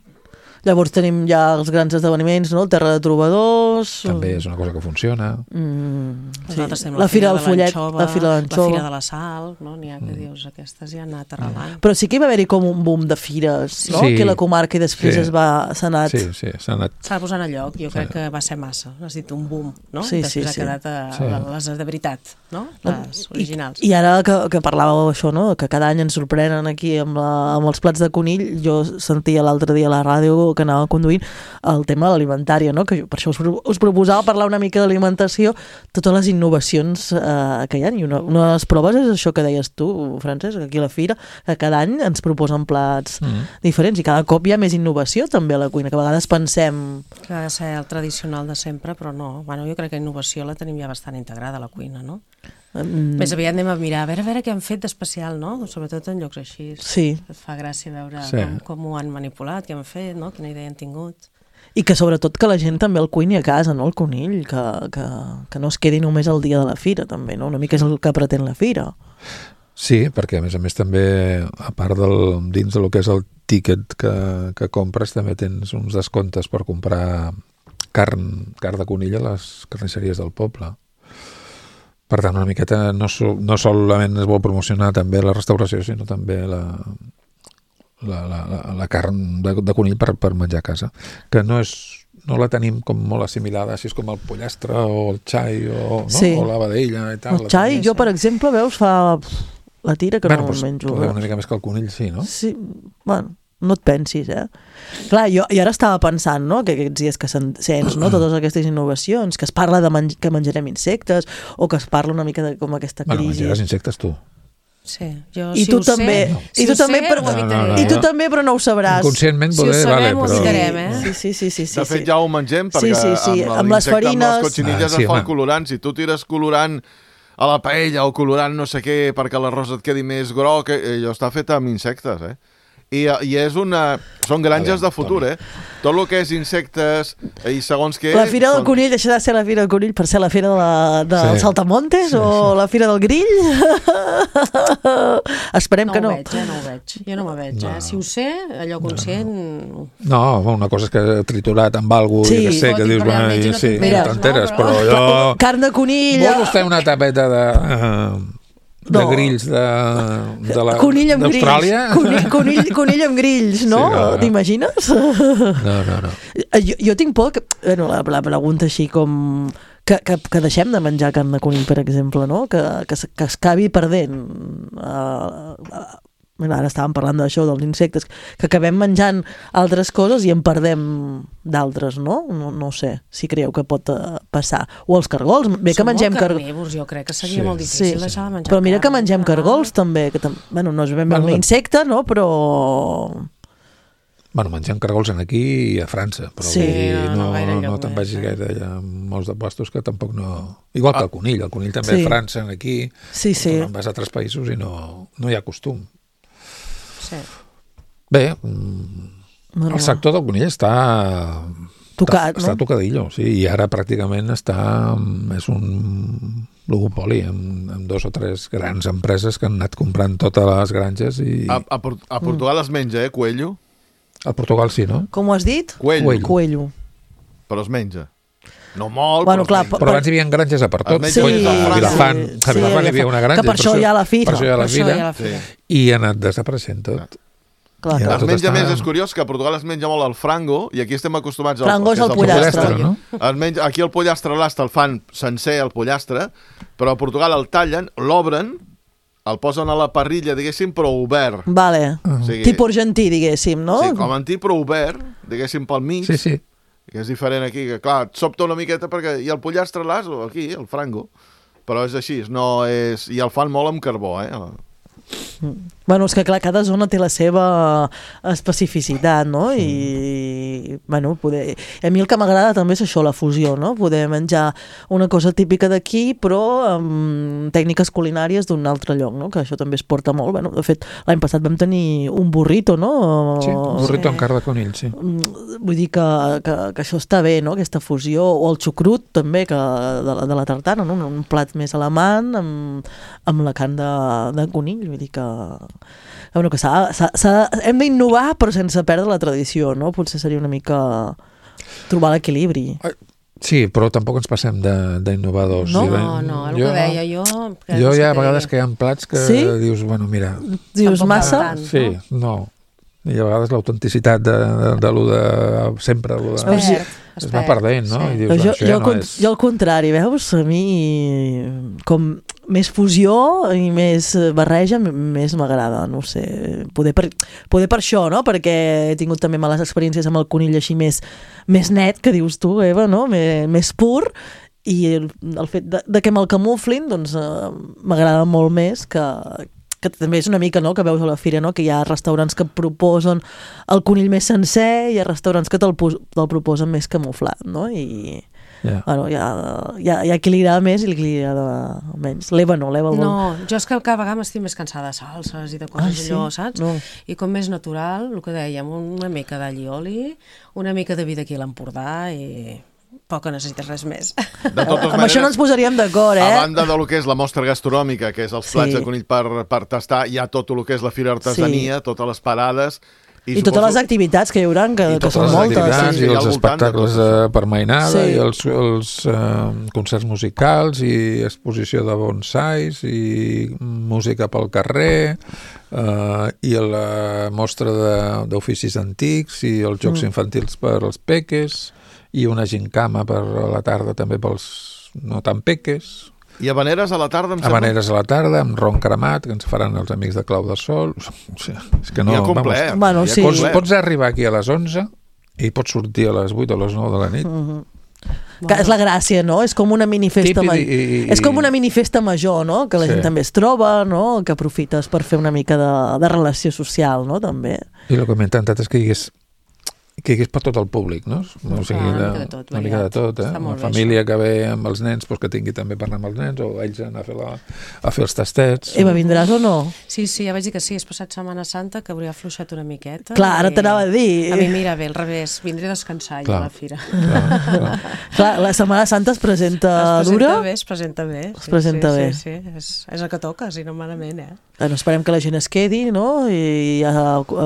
Llavors tenim ja els grans esdeveniments, no? El Terra de Trobadors... També és una cosa que funciona. Mm, sí. Nosaltres tenim La Fira del de Follet, l'Anxova, la Fira de la l'Anxova. Fira de la Sal, no? N'hi ha que dius, aquestes ja han anat arrelant. Però sí que hi va haver-hi com un boom de fires, no? Sí. Aquí a la comarca i després Sí. es va, s'ha anat... Sí, sí, s'ha anat... S'ha de posar a lloc, jo crec que va ser massa. Has dit un boom, no? Sí, Després sí, ha sí. quedat a, Sí. a les de veritat, no? Les originals. I, I ara que, que parlàveu això, no? Que cada any ens sorprenen aquí amb, la, amb els plats de conill, jo sentia l'altre dia a la ràdio que anava conduint el tema de l'alimentària, no? Que jo, per això us, pro- us proposava parlar una mica d'alimentació, totes les innovacions eh, que hi ha, i una, una de les proves és això que deies tu, Francesc, aquí a la fira, que cada any ens proposen plats Mm. diferents i cada cop hi ha més innovació també a la cuina, que a vegades pensem... Que ha de ser el tradicional de sempre, però no. Bueno, jo crec que innovació la tenim ja bastant integrada a la cuina, no? Mm, Més aviat anem a mirar, a veure, a veure què han fet d'especial, no? Sobretot en llocs així. sí, Et fa gràcia veure Sí. com, com ho han manipulat, què han fet, no? Quina idea han tingut. i que sobretot que la gent també el cuini a casa, no? El conill, que, que, que no es quedi només el dia de la fira, també, no? Una mica és el que pretén la fira. Sí, perquè a més a més també, a part del, dins del que és el tíquet que, que compres, també tens uns descomptes per comprar carn, carn de conill a les carnisseries del poble. Per tant, una miqueta no, so, no solament es vol promocionar també la restauració, sinó també la, la, la, la, la carn de, de conill per, per menjar a casa, que no és, no la tenim com molt assimilada, així com el pollastre o el xai o, no? Sí. O la vedella i tal. El xai, jo, per exemple, veus, fa la tira que bueno, no pues, menjo. Una mica més que el conill, sí, no? Sí, bueno, no et pensis, eh? Clar, jo, jo ara estava pensant, no?, que aquests dies que sents, no?, totes aquestes innovacions, que es parla de menj que menjarem insectes, o que es parla una mica de com aquesta crisi... Bueno, menjaràs insectes tu. Sí, jo, I si tu ho també, sé, no. si I tu ho també, sé, però, ho evitaré. No, no, I tu no. també, però no ho sabràs. Inconscientment Si ho poder, sabem, vale, ho però... evitarem, eh? Sí, sí, sí, sí, sí, De fet, sí. ja ho mengem, perquè Sí, sí, sí. amb, Amb les l'insecte, farines... amb les cotxinilles Ah, sí, es fa home. el colorant. Si tu tires colorant a la paella o colorant no sé què perquè l'arròs et quedi més groc, eh, allò està fet amb insectes, eh? I, I és una... Són granges de futur, eh? Tot el que és insectes i segons què... La Fira del són... Conill deixarà de ser la Fira del Conill per ser la Fira de la, del Sí. Saltamontes Sí, o sí. la Fira del Grill? Esperem No que ho no. veig, eh? No ho veig. Jo no me veig, No. eh? Si ho sé, allò conscient... No, una cosa és que he triturat amb alguna cosa, Sí. jo que sé, que Tot i dius, que bueno, realment i no sí, Mira. no t'enteres, no, però però- jo... Carn de conill... Vol vostè una tapeta de... Uh, de No. grills de, de la, Conill amb grills. d'Austràlia? Conill, conill, conill amb grills, no? Sí, no, no. T'imagines? No, no, no. Jo, jo tinc por que... Bueno, la, la pregunta així com... Que, que, que deixem de menjar carn de conill, per exemple, no? Que, que, es- que es acabi perdent. Uh, uh, bueno, ara estàvem parlant d'això, dels insectes, que acabem menjant altres coses i en perdem d'altres, no? no? No sé si creieu que pot uh, passar. O els cargols, bé que Som mengem molt cargols. carnívors, jo crec que seria Sí. molt difícil Sí. deixar de menjar Però mira que carn. mengem Ah. cargols també, que tam... bueno, no és ben bé Bueno, un insecte, no? Però... Bueno, mengem cargols en aquí i a França, però Sí, vull dir, no, no no, gaire no, lloc te'n més, vagis eh? gaire, hi ha molts de puestos que tampoc no... Igual que el conill, el conill també Sí. a França, aquí, Sí, sí. te'n vas a altres països i no, no hi ha costum. Sí. Bé, mm, Bueno, el sector del conill està... Tocat, està, està no? tocadillo, sí, i ara pràcticament està... És un oligopoli amb, amb dos o tres grans empreses que han anat comprant totes les granges i... A, a, Port- a Portugal es menja, eh, coelho? A Portugal sí, no? Com ho has dit? Coelho, Coelho. Coelho. però es menja. No molt, Bueno, però clar, es menja. Però abans hi havia granges a per tot. Sí, Coi, a sí, Vilafant, sí, a Vilafant sí, hi havia una granja. que per això hi ha la fira. Per això hi ha Per la això hi ha fira. la fira. Sí. I ha anat desapareixent tot. Clar, I clar. ara Es tot menja està- més, és curiós, que a Portugal es menja molt el frango, i aquí estem acostumats al... Frango és que el el pollastre. pollastre, no? Es menja, aquí el pollastre l'asta el fan sencer, el pollastre, però a Portugal el tallen, l'obren, el posen a la parrilla, diguéssim, però obert. Vale. O sigui, Tipus argentí, diguéssim, no? Sí, com antí, però obert, diguéssim, pel mig, Sí, sí. que és diferent aquí, que clar, et sobta una miqueta perquè... I el pollastre l'as, aquí, el frango, però és així, no és... I el fan molt amb carbó, eh? Bueno, és que clar, cada zona té la seva especificitat, no? I, bueno, poder... A mi el que m'agrada també és això, la fusió, no? Poder menjar una cosa típica d'aquí, però amb tècniques culinàries d'un altre lloc, no? Que això també es porta molt. Bueno, de fet, l'any passat vam tenir un burrito, no? Sí, un burrito Sí. amb carn de conill, sí. Mm, Vull dir que, que, que això està bé, no? Aquesta fusió, o el xucrut també, que de, la, de la tartana, no? Un plat més alemany amb, amb la carn de, de conill, vull dir que... Bueno, que s'ha, s'ha, s'ha, hem d'innovar però sense perdre la tradició, no? Potser seria una mica trobar l'equilibri. Sí, però tampoc ens passem de- d'innovadors. No? Sí, No, no, el que deia jo... que Jo és hi ha que vegades que hi ha plats que Sí? dius, bueno, mira... Dius Tampoc massa? tant. Sí, no. I a vegades l'autenticitat de, de, de, lo de sempre, lo de... Es perd, es va perdent, no? I Sí. dius, Jo, això jo, ja al no con- és... jo al contrari, veus? A mi com més fusió i més barreja m- més m'agrada, no ho sé, poder per, poder per això, no? Perquè he tingut també males experiències amb el conill així més, més net, que dius tu, Eva, no? Més, més pur, i el, el fet de, de que me'l camuflin doncs eh, m'agrada molt més que, que també és una mica, no?, que veus a la fira, no?, que hi ha restaurants que proposen el conill més sencer i hi ha restaurants que te'l, pos- te'l proposen més camuflat, no? I, Ja. bueno, hi ha, hi, ha, hi ha qui li agrada més i qui li agrada menys. L'Eva no, l'Eva vol... No, jo és que cada vegada estic més cansada de salses i de coses Ah, ah, sí? allò, saps? No. I com més natural, el que dèiem, una mica d'all i oli, una mica de vi d'aquí a l'Empordà i poc que necessites res més. De totes Amb això no ens posaríem d'acord, eh? A banda de lo que és la mostra gastronòmica, que és els plats Sí. de conill per, per tastar, hi ha tot el que és la fira artesania, Sí. totes les parades, I, I totes les activitats que hi haurà, que, que són moltes. I totes les activitats sí. i els espectacles de, per mainada, sí. i els, els uh, concerts musicals, i exposició de bonsais, i música pel carrer, uh, i la mostra d'oficis antics, i els jocs mm. infantils per als peques, i una gincama per a la tarda també pels no tan peques. I habaneres a la tarda, em sembla? Habaneres a la tarda, amb ron cremat, que ens faran els amics de Clau de Sol. És que no, ja complet. Vamos, bueno, ja sí. pots, pots arribar aquí a les onze i pots sortir a les vuit o a les nou de la nit. Mm-hmm. Que és la gràcia, no? És com una minifesta ma... i, i, és com una minifesta major, no? Que la sí. gent també es troba, no? Que aprofites per fer una mica de, de relació social, no? També. I el que m'he intentat és que hi hagués que hi hagués per tot el públic, no? O sigui, una mica de tot. Una mica de tot, eh? Una família bé, que ve amb els nens, doncs que tingui també parlar amb els nens, o ells anar a fer, la, a fer els tastets. Eva, vindràs o no? Sí, sí, ja vaig dir que sí, és passat Setmana Santa, que hauria afluixat una miqueta. Clar, ara t'anava a dir. A mi mira bé, al revés, vindré a descansar jo a la fira. Clar, clar. clar, la Setmana Santa es presenta es dura? Presenta bé, es presenta bé. Es presenta sí, bé. Sí, sí, és, és el que toca, si no malament, eh? Bueno, esperem que la gent es quedi, no? I ja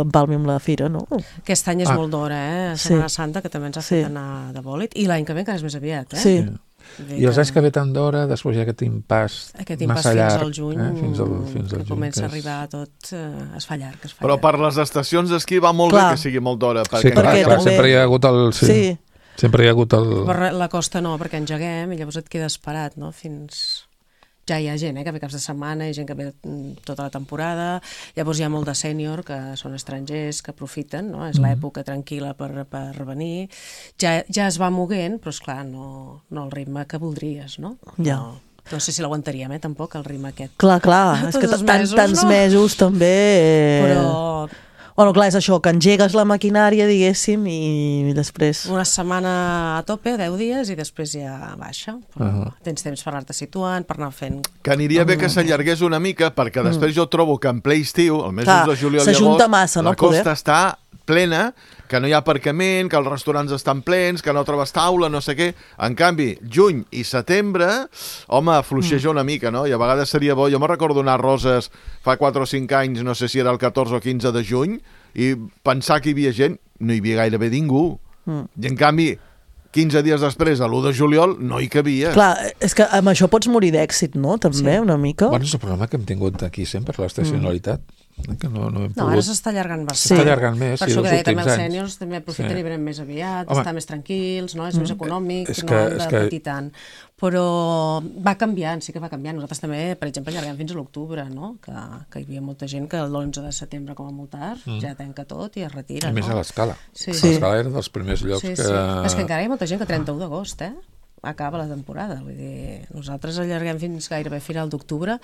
empalmi amb la fira, no? Aquest any és ah. molt d'hora, eh? Setmana sí. Santa, que també ens ha fet sí. anar de bòlit, i l'any que ve encara és més aviat, eh? Sí. I els anys que ve tant d'hora, després hi ha aquest impàs aquest impàs massa llarg. Fins al juny, eh? fins al, fins al que juny, comença que a arribar tot, eh, es fa llarg, es fa Però llarg. per les estacions d'esquí va molt clar. bé que sigui molt d'hora. Sí, clar, perquè clar, també... sempre hi ha hagut el... Sí. sí. Sempre hi ha hagut el... Per la costa no, perquè engeguem i llavors et quedes parat, no? Fins... Ja hi ha gent, eh, que ve caps de setmana, hi ha gent que ve tota la temporada, llavors hi ha molt de sènior, que són estrangers, que aprofiten, no? És mm. l'època tranquil·la per, per venir. Ja, ja es va moguent, però esclar, no, no el ritme que voldries, no? Ja. No, no sé si l'aguantaríem, eh, tampoc, el ritme aquest. Clar, clar, és que tant, mesos, tants no? mesos també... Eh... Però... Bueno, clar, és això, que engegues la maquinària, diguéssim, i després... Una setmana a tope, deu dies, i després ja baixa. Uh -huh. Tens temps per anar-te situant, per anar fent... Que aniria bé que s'allargués una mica, perquè després jo trobo que en ple estiu, el mes clar, de juliol, llavors, massa, no, la costa està plena, que no hi ha aparcament, que els restaurants estan plens, que no trobes taula, no sé què. En canvi, juny i setembre, home, fluixeja una mica, no? I a vegades seria bo... Jo me recordo anar a Roses fa quatre o cinc anys, no sé si era el catorze o quinze de juny, i pensar que hi havia gent, no hi havia gairebé ningú. Mm. I en canvi, quinze dies després, a l'u de juliol, no hi cabia. Clar, és que amb això pots morir d'èxit, no? També, sí. una mica. Bueno, és el problema que hem tingut aquí sempre, l'estacionalitat. Mm. Que no, no, hem no pogut... ara s'està allargant bastant. S'està allargant més, per sí, això que deia, també els anys. sèniors també aprofiten sí. i venen més aviat, Home, estan més tranquils, no? És mm. més econòmic, és no que, han de que... patir tant. Però va canviant, sí que va canviant. Nosaltres també, per exemple, allarguem fins a l'octubre, no? Que, que hi havia molta gent que l'onze de setembre, com a molt tard, mm. ja tanca tot i es retira. A més, no? a l'Escala. Sí. L'Escala era dels primers llocs sí, que... Sí. És que encara hi ha molta gent que trenta-u d'agost, eh? Acaba la temporada, vull dir, nosaltres allarguem fins gairebé final d'octubre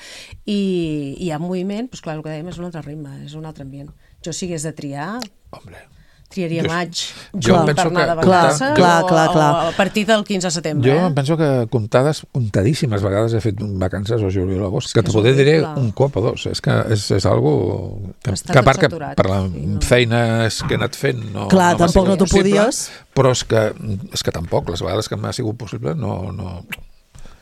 i, i hi ha moviment, doncs clar, el que dèiem és un altre ritme, és un altre ambient. Jo si hagués de triar, Hombre. triaria jo, maig jo per penso anar que, de vacances clar, clar, clar, clar. o a partir del quinze de setembre. Jo eh? em penso que comptades, comptadíssimes vegades he fet vacances o juliol o agost, que te poder diré un cop o dos. És que és, és algo que, que a part que per la sí, no. feina que he anat fent no, clar, no tampoc no t'ho podies. Però és que, és que tampoc, les vegades que m'ha sigut possible no... no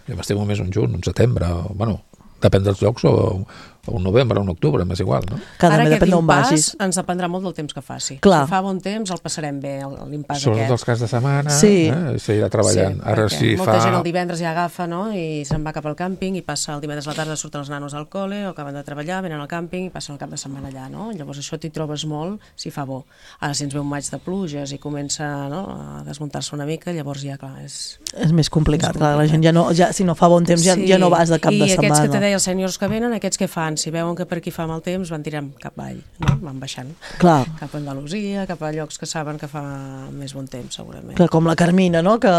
jo m'estimo més un juny, un setembre, o, bueno, depèn dels llocs, o, o un novembre, o un octubre, m'és igual, no? Que ara depèn d'on vagis. Ens dependrà molt del temps que faci. Clar. Si fa bon temps, el passarem bé, l'impàs aquest. Sobretot els caps de setmana, sí. eh? S'irà treballant. Sí, ara si molta fa... gent el divendres ja agafa, no?, i se'n va cap al càmping, i passa el divendres a la tarda, surten els nanos al col·le, o acaben de treballar, venen al càmping, i passen el cap de setmana allà, no? Llavors això t'hi trobes molt si fa bo. Ara si ens ve un maig de pluges i comença, no?, a desmuntar-se una mica, llavors ja, clar, és... És més complicat, clar, la gent ja no, ja, si no fa bon temps ja, sí. ja no vas de cap I de setmana. I aquests que te deia els sèniors que venen, aquests que fan? Si veuen que per aquí fa mal temps, van tirant cap avall, no? Van baixant. Clar. Cap a Andalusia, cap a llocs que saben que fa més bon temps, segurament. Clar, com la Carmina, no?, que,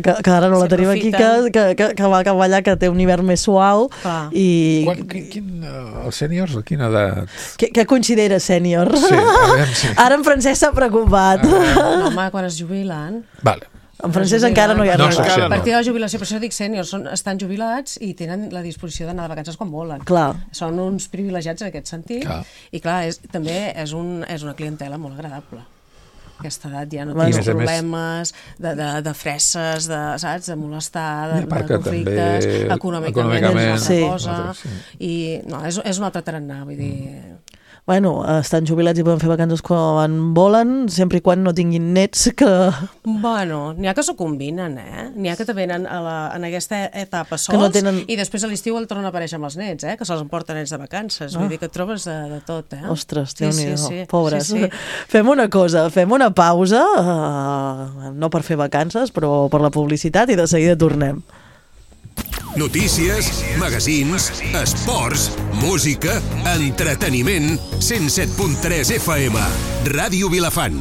que, que ara no la tenim aquí, que, que, que, que va cap allà, que té un hivern més suau. Clar. I... Quan, quin, quin, uh, els sèniors, a quina edat? Què, què consideres sènior? Sí, a veure, sí. Ara en Francesc s'ha preocupat. No, home, quan es jubilen... Vale. En francès encara no hi ha no, res. no. A partir de la jubilació, per això dic sèniors, són, estan jubilats i tenen la disposició d'anar de vacances quan volen. Clar. Són uns privilegiats en aquest sentit. Clar. I clar, és, també és, un, és una clientela molt agradable. Aquesta edat ja no Bueno. tens problemes de, de, de fresses, de, saps, de molestar, de, de que conflictes, també, econòmicament, econòmicament, és una sí. cosa. Sí. I no, és, és un altre tarannà, vull dir... bueno, estan jubilats i poden fer vacances quan volen, sempre i quan no tinguin nets que... Bueno, n'hi ha que s'ho combinen, eh? N'hi ha que te venen a la, en aquesta etapa sols no tenen... i després a l'estiu el tornen a aparèixer amb els nets, eh? Que se'ls emporten nets de vacances. Ah. Vull dir que et trobes de, de tot, eh? Ostres, sí, Déu-n'hi-do, sí, sí. pobres. Sí, sí. Fem una cosa, fem una pausa, uh, no per fer vacances, però per la publicitat, i de seguida tornem. Notícies, magazins, esports, música, entreteniment, cent set punt tres F M, Ràdio Vilafant.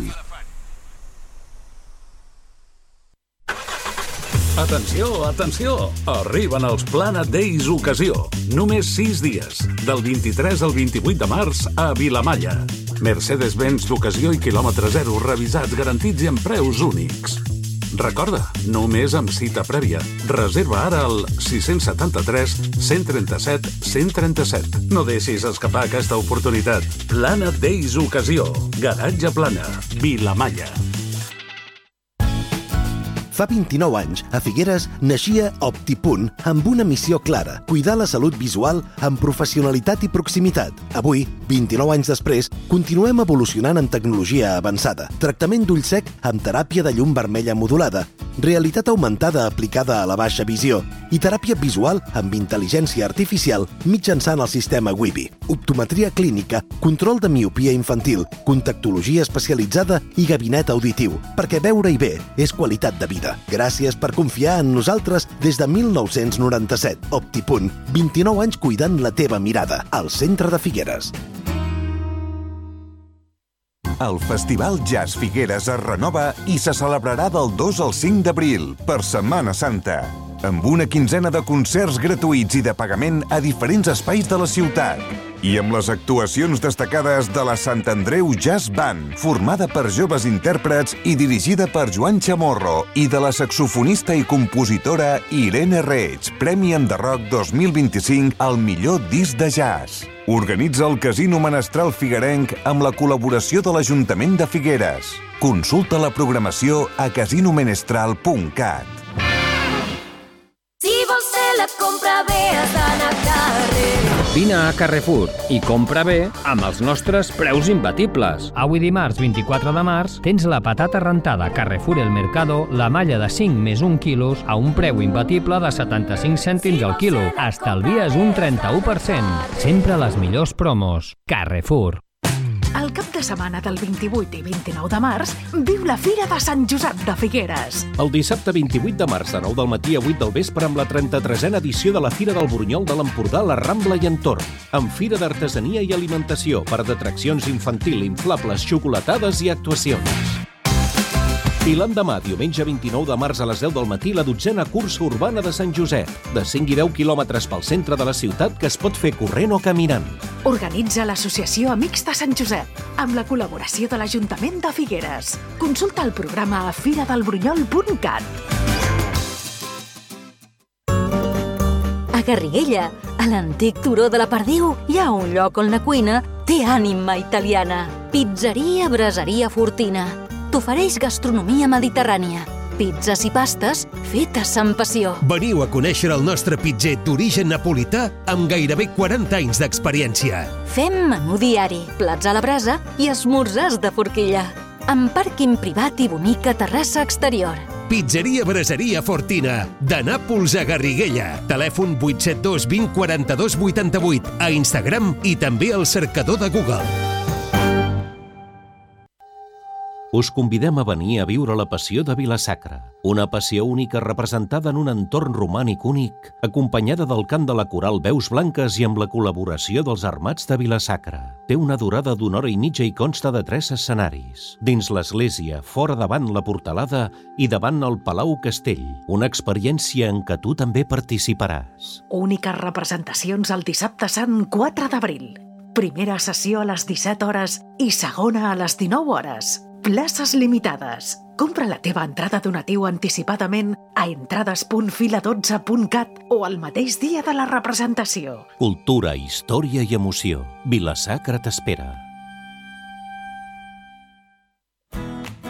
Atenció, atenció! Arriben els Planet Days Ocasió. Només sis dies, del vint-i-tres al vint-i-vuit de març a Vilamalla. Mercedes-Benz d'ocasió i quilòmetre zero, revisats, garantits i amb preus únics. Recorda, només amb cita prèvia. Reserva ara al sis set tres, cent trenta-set, cent trenta-set. No deixis escapar aquesta oportunitat. Planet Days Ocasió. Garatge Plana. Vilamalla. Fa vint-i-nou anys, a Figueres, naixia OptiPunt amb una missió clara, cuidar la salut visual amb professionalitat i proximitat. Avui, vint-i-nou anys després, continuem evolucionant en tecnologia avançada. Tractament d'ull sec amb teràpia de llum vermella modulada, realitat augmentada aplicada a la baixa visió i teràpia visual amb intel·ligència artificial mitjançant el sistema Wibi. Optometria clínica, control de miopia infantil, contactologia especialitzada i gabinet auditiu, perquè veure-hi bé és qualitat de vida. Gràcies per confiar en nosaltres des de mil nou-cents noranta-set. OptiPunt, vint-i-nou anys cuidant la teva mirada, al centre de Figueres. El Festival Jazz Figueres es renova i se celebrarà del dos al cinc d'abril, per Setmana Santa, amb una quinzena de concerts gratuïts i de pagament a diferents espais de la ciutat. I amb les actuacions destacades de la Sant Andreu Jazz Band, formada per joves intèrprets i dirigida per Joan Chamorro, i de la saxofonista i compositora Irene Reig, Premi Enderroc dos mil vint-i-cinc al millor disc de jazz. Organitza el Casino Menestral Figuerenc amb la col·laboració de l'Ajuntament de Figueres. Consulta la programació a casino menestral punt cat. Si vols fer la compra bé, has d'anar a carrer. Vine a Carrefour i compra bé amb els nostres preus imbatibles. Avui dimarts vint-i-quatre de març tens la patata rentada Carrefour El Mercado, la malla de cinc més un quilos a un preu imbatible de setanta-cinc cèntims al quilo. Estalvies un trenta-u per cent. Sempre les millors promos. Carrefour. El cap de setmana del vint-i-vuit i vint-i-nou de març viu la Fira de Sant Josep de Figueres. El dissabte vint-i-vuit de març de nou del matí a vuit del vespre amb la trenta-tresena edició de la Fira del Burunyol de l'Empordà, la Rambla i entorn, amb fira d'artesania i alimentació, parc d'atraccions infantil, inflables, xocolatades i actuacions. I l'endemà, diumenge vint-i-nou de març a les deu del matí, la dotzena cursa urbana de Sant Josep, de cinc i deu quilòmetres pel centre de la ciutat que es pot fer corrent o caminant. Organitza l'Associació Amics de Sant Josep, amb la col·laboració de l'Ajuntament de Figueres. Consulta el programa a fira del brunyol punt cat. A Garriguella, a l'antic turó de la Perdiu, hi ha un lloc on la cuina té ànima italiana. Pizzeria Braseria Fortina. T'ofereix gastronomia mediterrània, pizzas i pastes fetes amb passió. Veniu a conèixer el nostre pitzer d'origen napolità amb gairebé quaranta anys d'experiència. Fem menú diari, plats a la brasa i esmorzars de forquilla, amb pàrquing privat i bonica terrassa exterior. Pizzeria Braseria Fortina, de Nàpols a Garriguella. Telèfon vuit set dos vint quaranta-dos vuitanta-vuit, a Instagram i també al cercador de Google. Us convidem a venir a viure la passió de Vila-sacra, una passió única representada en un entorn romànic únic, acompanyada del cant de la coral Veus Blanques i amb la col·laboració dels Armats de Vila-sacra. Té una durada d'una hora i mitja i consta de tres escenaris. Dins l'església, fora davant la portalada i davant el Palau Castell, una experiència en què tu també participaràs. Úniques representacions el dissabte sant quatre d'abril. Primera sessió a les disset hores i segona a les dinou hores. Places limitades. Compra la teva entrada donatiu anticipadament a entrades punt fila dotze punt cat o el mateix dia de la representació. Cultura, història i emoció. Vila-sacra t'espera.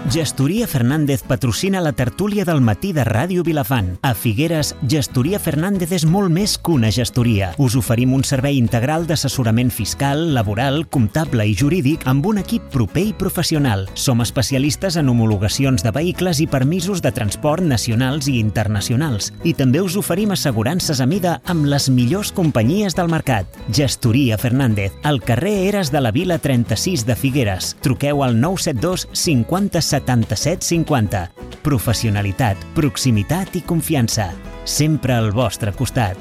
Gestoria Fernández patrocina la tertúlia del matí de Ràdio Vilafant. A Figueres, Gestoria Fernández és molt més que una gestoria. Us oferim un servei integral d'assessorament fiscal, laboral, comptable i jurídic amb un equip proper i professional. Som especialistes en homologacions de vehicles i permisos de transport nacionals i internacionals. I també us oferim assegurances a mida amb les millors companyies del mercat. Gestoria Fernández, al carrer Eres de la Vila trenta-sis de Figueres. Truqueu al nou set dos cinquanta setanta-set cinquanta. Professionalitat, proximitat i confiança. Sempre al vostre costat.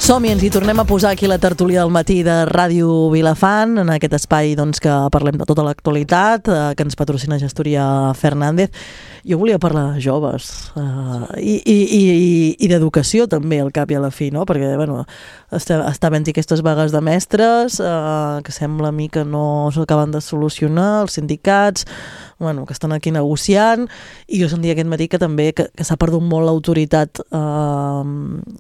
Som-hi, ens hi tornem a posar aquí la tertúlia del matí de Ràdio Vilafant, en aquest espai doncs, que parlem de tota l'actualitat, eh, que ens patrocina Gestoria Fernández. Jo volia parlar de joves eh, i, i, i, i d'educació també, al cap i a la fi, no? Perquè bueno, està, està havent-hi aquestes vagues de mestres eh, que sembla a mi que no s'acaben de solucionar, els sindicats bueno, que estan aquí negociant, i jo sentia aquest matí que també que, que s'ha perdut molt l'autoritat eh,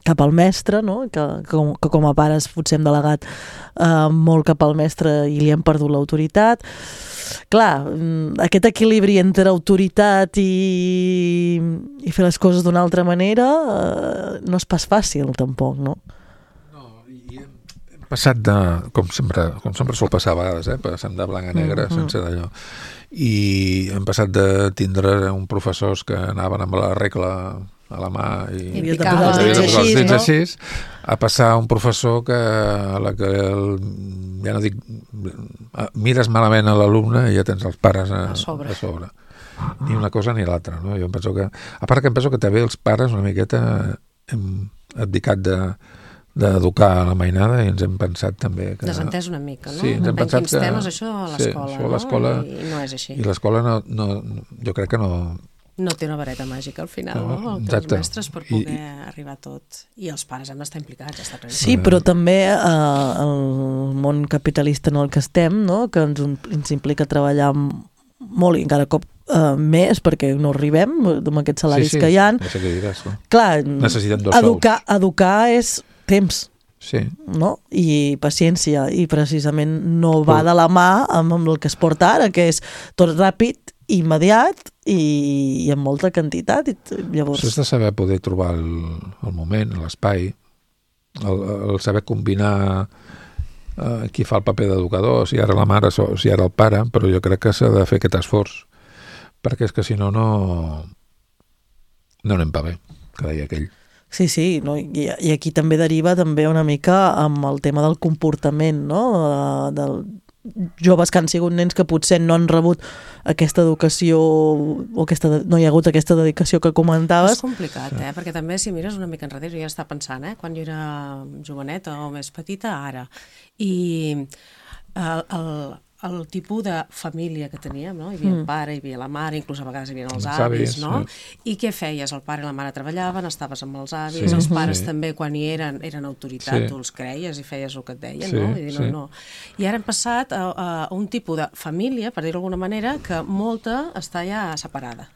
cap al mestre, no? que, que, com, que com a pares potser hem delegat eh, molt cap al mestre i li hem perdut l'autoritat. Clar, aquest equilibri entre autoritat i, i fer les coses d'una altra manera eh, no és pas fàcil tampoc, no? Passat de, com sempre, com sempre sol passar a vegades, eh? Passant de blanc a negre, mm-hmm. sense d'allò. I hem passat de tindre uns professors que anaven amb la regla a la mà i, I havia de posar els dits així, no? Així, a passar a un professor que a la que el, ja no dic mires malament a l'alumne i ja tens els pares a, a, sobre. a sobre. Ni una cosa ni l'altra, no? Jo em penso que, a part que em penso que també els pares una miqueta hem abdicat de d'educar a la mainada i ens hem pensat també que... Desentès una mica, no? Sí, ens hem pensat quins que... temes això a l'escola, sí, l'escola, no? I, I no és així. I l'escola no, no, jo crec que no... No té una vareta màgica al final, no? no? Els mestres per poder I, arribar a tot. I els pares han d'estar implicats. Està sí, però també eh, el món capitalista en el que estem, no? Que ens, ens implica treballar molt i encara cop uh, més perquè no arribem amb aquests salaris sí, sí, que hi ha. Sí, sí, diràs, no? Clar, necessitem dos educar, educar és temps. Sí. No? I paciència, i precisament no va de la mà amb, amb el que es porta ara, que és tot ràpid, immediat i, i amb molta quantitat. I llavors... Has de saber poder trobar el, el moment, l'espai, el, el saber combinar eh, qui fa el paper d'educador, si ara la mare o si ara el pare, però jo crec que s'ha de fer aquest esforç, perquè és que si no, no, no anem pa bé, que deia aquell. Sí, sí, no? I, i aquí també deriva també una mica amb el tema del comportament, no? De, de joves que han sigut nens que potser no han rebut aquesta educació o aquesta, no hi ha hagut aquesta dedicació que comentaves. És complicat, eh? Perquè també si mires una mica enrere, jo ja estava pensant, eh? Quan jo era joveneta o més petita, ara. I el, el, el tipus de família que teníem, no? Hi havia el pare, hi havia la mare, inclús a vegades hi havia els avis, no? I què feies? El pare i la mare treballaven, estaves amb els avis, sí, els pares sí. també, quan hi eren, eren autoritat, sí. tu els creies i feies el que et deien, sí, no? I, dir, no, sí. no? I ara hem passat a, a un tipus de família, per dir-ho d'alguna manera, que molta està ja separada.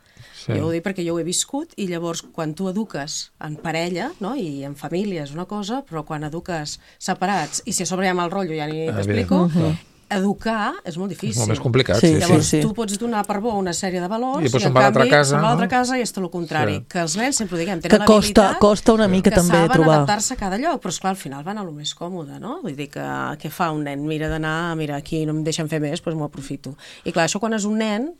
Sí. Jo ho dic perquè jo ho he viscut i llavors quan tu eduques en parella, no? I en família és una cosa, però quan eduques separats i si a sobre hi ha mal rotllo ja ni t'explico, uh-huh. educar és molt difícil. És molt més complicat. Sí, sí, llavors sí. tu pots donar per bo una sèrie de valors i, i en canvi se'n va a l'altra casa i és tot el contrari. Sí. Que els nens sempre ho diguem, tenen que costa, l'habilitat costa una mica que també saben trobar. adaptar-se a cada lloc, però esclar, al final van a lo més còmode, no? Vull dir que què fa un nen? Mira d'anar, mira, aquí no em deixen fer més, doncs m'ho aprofito. I clar, això quan és un nen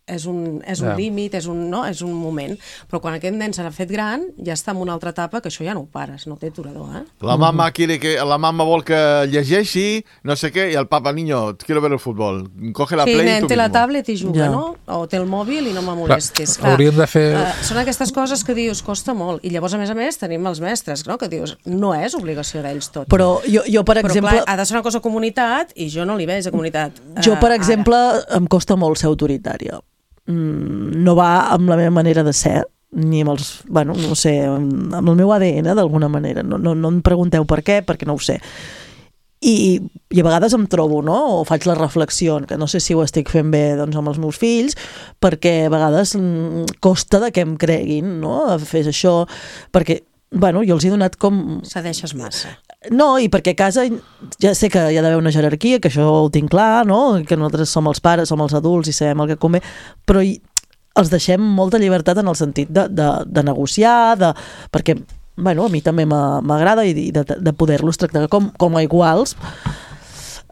és un, és un yeah. límit, és un, no? és un moment, però quan aquest nen s'ha fet gran ja està en una altra etapa que això ja no ho pares, no té aturador, eh? La mama quiere que, la mama vol que llegeixi, no sé què, i el papa, niño, quiero ver el futbol, coge la sí, play nen, tu té la mismo. tablet i juga, Ja. no? O té el mòbil i no me molestis. Clar, hauríem de fer... Uh, són aquestes coses que dius, costa molt, i llavors a més a més tenim els mestres, no? Que dius, no és obligació d'ells tot. Però jo, jo per Però exemple... clar, ha de ser una cosa comunitat i jo no li veig a comunitat. Jo, per uh, exemple, ara. em costa molt ser autoritària. No va amb la meva manera de ser, ni amb els, bueno, no sé, amb el meu A D N, d'alguna manera. No, no, no em pregunteu per què, perquè no ho sé. I, i a vegades em trobo, no? O faig la reflexió, que no sé si ho estic fent bé doncs, amb els meus fills, perquè a vegades costa de que em creguin, no? Fes això, perquè bueno, jo els he donat com... Cedeixes massa. No, i perquè a casa ja sé que hi ha d'haver una jerarquia, que això ho tinc clar, no? Que nosaltres som els pares, som els adults i sabem el que convé, però hi, els deixem molta llibertat en el sentit de, de, de negociar, de, perquè bueno, a mi també m'agrada i de, de poder-los tractar com, com a iguals.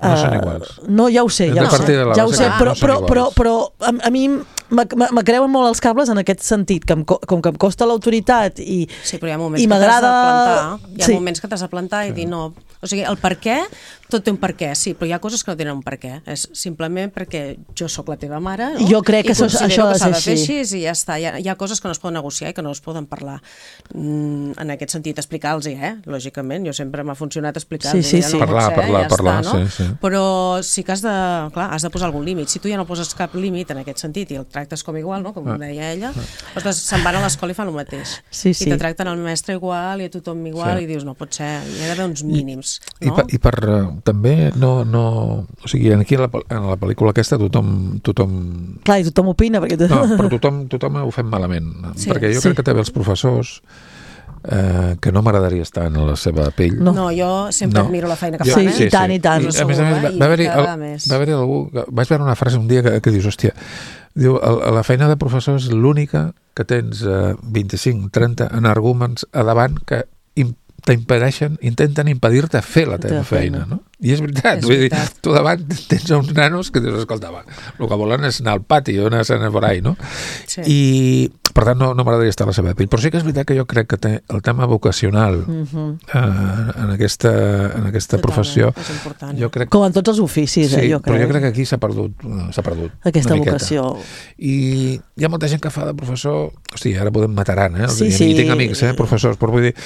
No són iguals. Uh, no, ja ho sé, ja ho sé, ja ho sé, però, però, però, però a, a mi me creuen molt els cables en aquest sentit, que em, com que em costa l'autoritat i, sí, però hi ha moments i m'agrada... Hi ha sí. moments que t'has de plantar i dir no. O sigui, el per què, tot té un per què, sí, però hi ha coses que no tenen un per què. És simplement perquè jo sóc la teva mare, no? Jo crec que I considero això que s'ha de ser fer així i ja està. Hi ha, hi ha coses que no es poden negociar i que no es poden parlar. Mm, en aquest sentit, explicar-los, eh? Lògicament, jo sempre m'ha funcionat explicar-los. Sí, sí, sí. No parlar, ser, parlar, ja parlar, està, no? sí, sí. Però sí que has de, clar, has de posar algun límit. Si tu ja no poses cap límit en aquest sentit i el tractes com igual, no? Com ah. deia ella, ostres, se'n van a l'escola i fan el mateix. Sí, sí. I te tracten el mestre igual i a tothom igual sí. i dius, no pot ser, hi ha d'haver uns mínims. I, no? I, per, i per uh, també no, no... O sigui, aquí en la, en la pel·lícula aquesta tothom... tothom... Clar, i tothom opina, perquè... No, però tothom, tothom ho fem malament. Sí, perquè jo sí. crec que també els professors eh, que no m'agradaria estar en la seva pell. No, no jo sempre no. admiro la feina que jo, fan, eh? Sí, i tant, i tant. I, a més a més, va, va haver-hi va haver algú... Vaig veure una frase un dia que, que dius, hòstia, diu, la feina de professor és l'única que tens eh, vint-i-cinc trenta energúmens a davant que t'impedeixen, intenten impedir-te fer la teva feina, no? I és veritat, és vull veritat. dir, tu davant tens uns nanos que dius, escolta, va, el que volen és anar al pati o anar a anar por ahí, no? Sí. I, per tant, no, no m'agradaria estar a la seva pell. Però sí que és veritat que jo crec que té el tema vocacional uh-huh. eh, en aquesta, en aquesta professió... És important. Jo crec... Com en tots els oficis, sí, eh, jo crec. però jo crec que aquí s'ha perdut, s'ha perdut aquesta una vocació. Miqueta. I hi ha molta gent que fa de professor... Hosti, ara podem mataran, eh? Sí, sí. I tinc amics, eh, professors, però vull dir...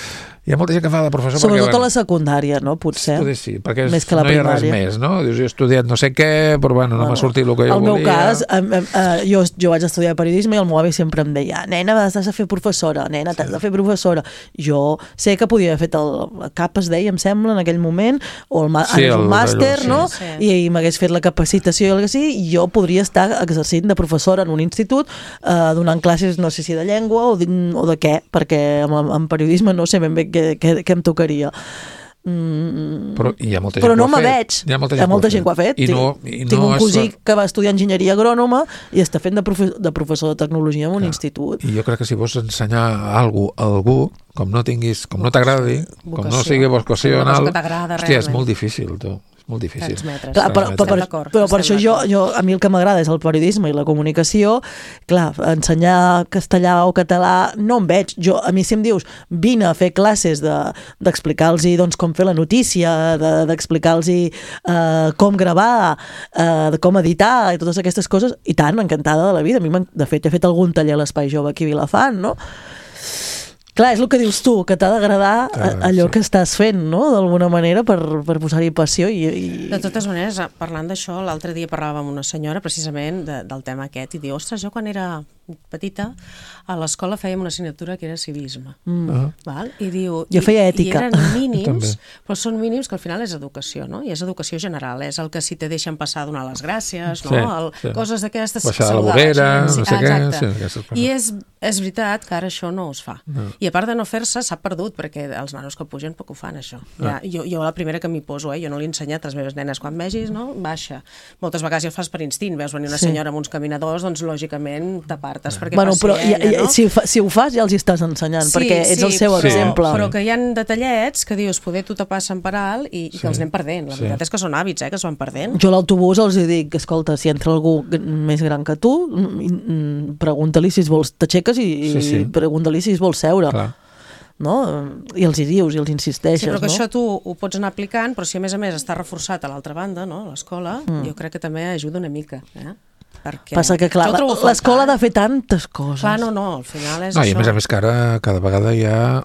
Hi ha molta gent que fa de professor sobretot perquè... Sobretot a la secundària, no? Potser. Potser sí, perquè més que la no hi ha res primària. més, no? Dius, jo he estudiat no sé què, però bueno, no bueno, m'ha sortit el que jo el volia. El meu cas, eh, eh, jo, jo vaig estudiar periodisme i el meu avi sempre em deia, nena, has de fer professora, nena, t'has sí. de fer professora. Jo sé que podia haver fet el, el cap, es deia, em sembla, en aquell moment, o el, sí, el, el màster, sí. no? Sí. I, i m'hagués fet la capacitació i el que sí, i jo podria estar exercint de professora en un institut, eh, donant classes, no sé si de llengua o de, o de què, perquè en, en periodisme no sé ben bé què, què, què em tocaria. Mm, però hi ha molta gent però no que ho me ha veig. Hi ha molta gent, hi ha molta gent que ho ha fet. I no, i no tinc un cosí es... que va estudiar enginyeria agrònoma i està fent de, profe de professor de tecnologia en un Clar. institut. I jo crec que si vols ensenyar algú a algú, com no tinguis, com no t'agradi, com no sigui vocacional, hòstia, és molt difícil, tu. molt difícil. Clar, però, però, però, però per això jo, jo, a mi el que m'agrada és el periodisme i la comunicació. Clar, ensenyar castellà o català no em veig. Jo, a mi si em dius, vine a fer classes d'explicar-los de, doncs, com fer la notícia, d'explicar-los de, uh, com gravar, uh, de com editar i totes aquestes coses, i tant, encantada de la vida. A mi, de fet, he fet algun taller a l'Espai Jove aquí a Vilafant, no? Clar, és el que dius tu, que t'ha d'agradar ah, allò sí. que estàs fent, no?, d'alguna manera, per, per posar-hi passió. I, i... De totes maneres, parlant d'això, l'altre dia parlàvem amb una senyora precisament de, del tema aquest i diu, ostres, jo quan era petita a l'escola fèiem una assignatura que era civisme. Mm. Uh-huh. Val? I diu... Jo feia ètica. I eren mínims, però són mínims que al final és educació, no? I és educació general, és el que si te deixen passar a donar les gràcies, no? Sí, el, sí. Coses d'aquestes... Baixar a la vorera, no sé què... Sí, I és, és veritat que ara això no es fa. No. I a part de no fer-se, s'ha perdut, perquè els nanos que pugen poc ho fan, això. No. Ja, jo, jo la primera que m'hi poso, eh? Jo no li he ensenyat a les meves nenes quan vegis, no? Baixa. Moltes vegades ja ho fas per instint, veus venir una sí. senyora amb uns caminadors, doncs lògicament t'apartes perquè bueno, passi però, ella, i, no? Si, si ho fas ja els hi estàs ensenyant, sí, perquè ets sí, el seu però, exemple. Però que hi ha detallets que dius, poder tu te passen per alt i, sí. i que els anem perdent. La sí. veritat és que són hàbits, eh, que es van perdent. Jo a l'autobús els dic, escolta, si entra algú més gran que tu, pregunta-li si es vols, t'aixeques i, sí, sí. i pregunta-li si es vol seure. Clar. No? I els hi dius i els insisteixes. Sí, però que no? això tu ho pots anar aplicant, però si a més a més està reforçat a l'altra banda, no? L'escola, mm. jo crec que també ajuda una mica, eh? Perquè passa que, clar, l'escola ha de fer tantes coses. Clar, no, no, al final és no, això. I a més a més que ara cada vegada hi ha,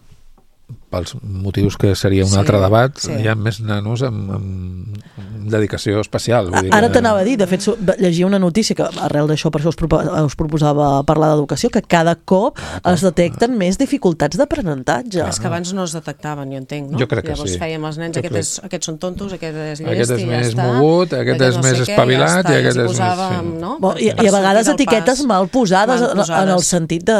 pels motius que seria un sí, altre debat, sí. hi ha més nanos amb, amb dedicació especial. Vull dir ara que... t'anava a dir, de fet, llegia una notícia que arrel d'això, per això us, propo us proposava parlar d'educació, que cada cop ah, es detecten ah. més dificultats d'aprenentatge. És que abans no es detectaven, jo entenc, no? Jo crec que Llavors sí. fèiem els nens, aquest és, aquests són tontos, aquest és llest, aquest és i ja més està. mogut, aquest és no més sé espavilat, què, ja i aquest és posàvem, més... Sí. No? Bon, i, I a vegades etiquetes mal posades, mal posades en el sentit de...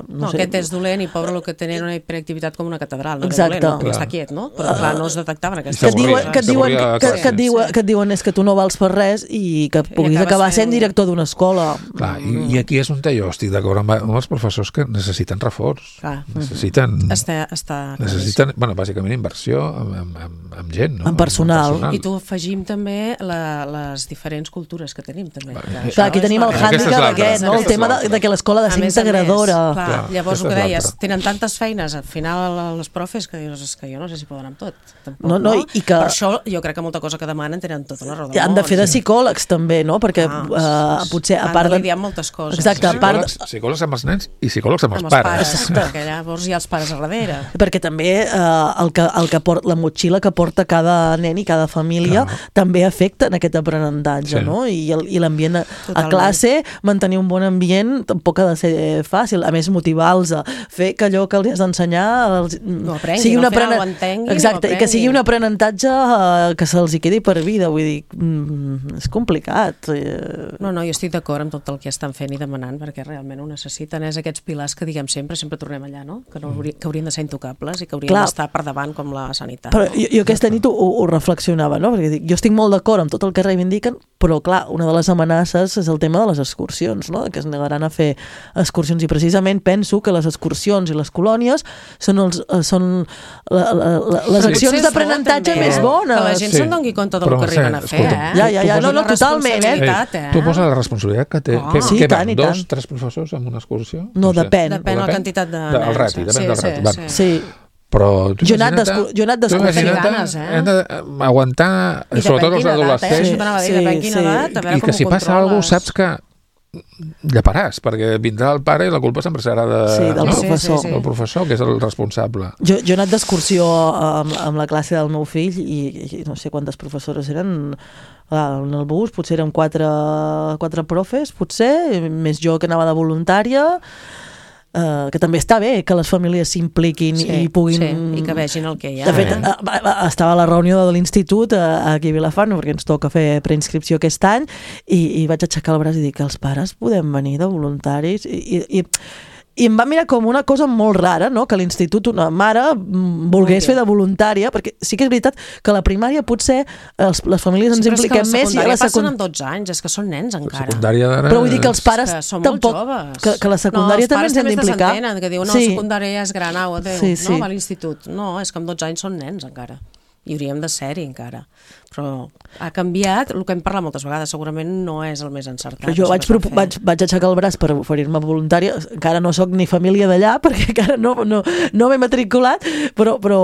No, no sé. Aquest és dolent i pobre el que tenen una hiperactivitat com una catedral. normal, no Exacte. era dolent, no? Està quiet, no? Però clar, no es detectaven aquestes Que et diuen, coses. que et diuen, que, que, que, et diuen, Sí. que et diuen és que tu no vals per res i que puguis acabes acabar sent fent- director d'una escola. Clar, i, i aquí és on jo estic d'acord amb, amb els professors que necessiten reforç. Clar. Necessiten... Està, està necessiten, bueno, bàsicament inversió amb, amb, amb, amb gent, no? Amb personal. Amb personal. I tu afegim també la, les diferents cultures que tenim també. Que Clar, aquí tenim el hàndicap aquest, no? El tema de, de que l'escola ha de A ser més a més, integradora. Clar, Clar, llavors el aquesta que és deies, l'altra. tenen tantes feines al final els profes que dius, és que jo no sé si poden amb tot. Tampoc, No, no, i que- Per això jo crec que molta cosa que demanen tenen tota la raó del Han de món. fer de psicòlegs també, no? Perquè Ah, uh, potser a Han part de de... lidiar amb moltes coses. Exacte, a part de... Psicòlegs, psicòlegs amb els nens i psicòlegs amb els, amb els pares. pares, perquè llavors hi ha els pares a darrere. Perquè també eh, el que, el que port, la motxilla que porta cada nen i cada família també afecta en aquest aprenentatge, Sí. no? I, el- i l'ambient a, a Totalment. classe, mantenir un bon ambient tampoc ha de ser fàcil. A més, motivar-los a fer que allò que els has d'ensenyar els, No aprenguin, sigui un al final aprenen- ho entenguin, Exacte, ho i que sigui aprenguin. un aprenentatge eh, que se'ls hi quedi per vida. Vull dir, mm, és complicat. Eh, No, no, jo estic d'acord amb tot el que estan fent i demanant, perquè realment ho necessiten. És aquests pilars que diguem sempre, sempre tornem allà, no? Que, no haurien, que haurien de ser intocables i que haurien Clar. d'estar per davant com la sanitat. Però no? jo, jo aquesta nit ho, ho reflexionava, no? Perquè dic, jo estic molt d'acord amb tot el que reivindiquen, però clar, una de les amenaces és el tema de les excursions, no? Que es negaran a fer excursions i precisament penso que les excursions i les colònies són, els, eh, són la, la, la, les Però accions potser és d'aprenentatge bo, també, més eh? bones. Que la gent Sí. se'n doni compte del Però, que arriben Mercè, a fer, escolta, eh? Ja, ja, ja, tu no, no, poses- totalment, eh? responsabilitat, eh? Tu poses la responsabilitat que té. Ah. Què, Sí, què i tant, van, i dos, tant. tres professors en una excursió? No, sé. depèn. Depèn de la quantitat de De, el nens. rati, depèn Sí, del sí, rati. sí. Sí. Però tu Jo he anat imagina't- d'excur- jo he anat tu d'excursió. imagina't, Ganes, eh? hem d'aguantar, I sobretot depèn els quina edat, eh? adolescents, Això t'anava a dir, Sí, depèn quina sí. edat, a veure i com que ho si passa controles. alguna cosa saps que llaparàs, perquè vindrà el pare i la culpa sempre serà de, Sí, del no? professor. del professor, que és el responsable. Jo, jo he anat d'excursió amb, amb la classe del meu fill i, i no sé quantes professores eren. Clar, en el bus potser eren quatre, quatre profes, potser, més jo que anava de voluntària, eh, que també està bé que les famílies s'impliquin Sí, i puguin... sí, i que vegin el que hi ha. De fet, eh? eh, eh, estava a la reunió de l'institut eh, aquí a Vilafant, perquè ens toca fer preinscripció aquest any, i, i vaig aixecar el braç i dir que els pares podem venir de voluntaris, i, i, i i em va mirar com una cosa molt rara, no? Que a l'institut una mare mm, volgués fer de voluntària, perquè sí que és veritat que a la primària potser els, les famílies ens Sí, però és que impliquem la més i a secundària la passen secundària... amb dotze anys, és que són nens encara. Secundària d'ara... Però vull dir que els pares que són tampoc... molt joves. Que, que la secundària no, també ens hem d'implicar. desentenen, que diuen, no, Sí. la secundària ja és gran, au, adéu, Sí, sí. no, va a l'institut. No, és que amb dotze anys són nens encara. I hauríem de ser-hi encara. Però ha canviat, el que hem parlat moltes vegades, segurament no és el més encertat. Però jo això vaig, que estan propo- fent. vaig, vaig aixecar el braç per oferir-me voluntària, encara no sóc ni família d'allà perquè encara no, no, no m'he matriculat, però, però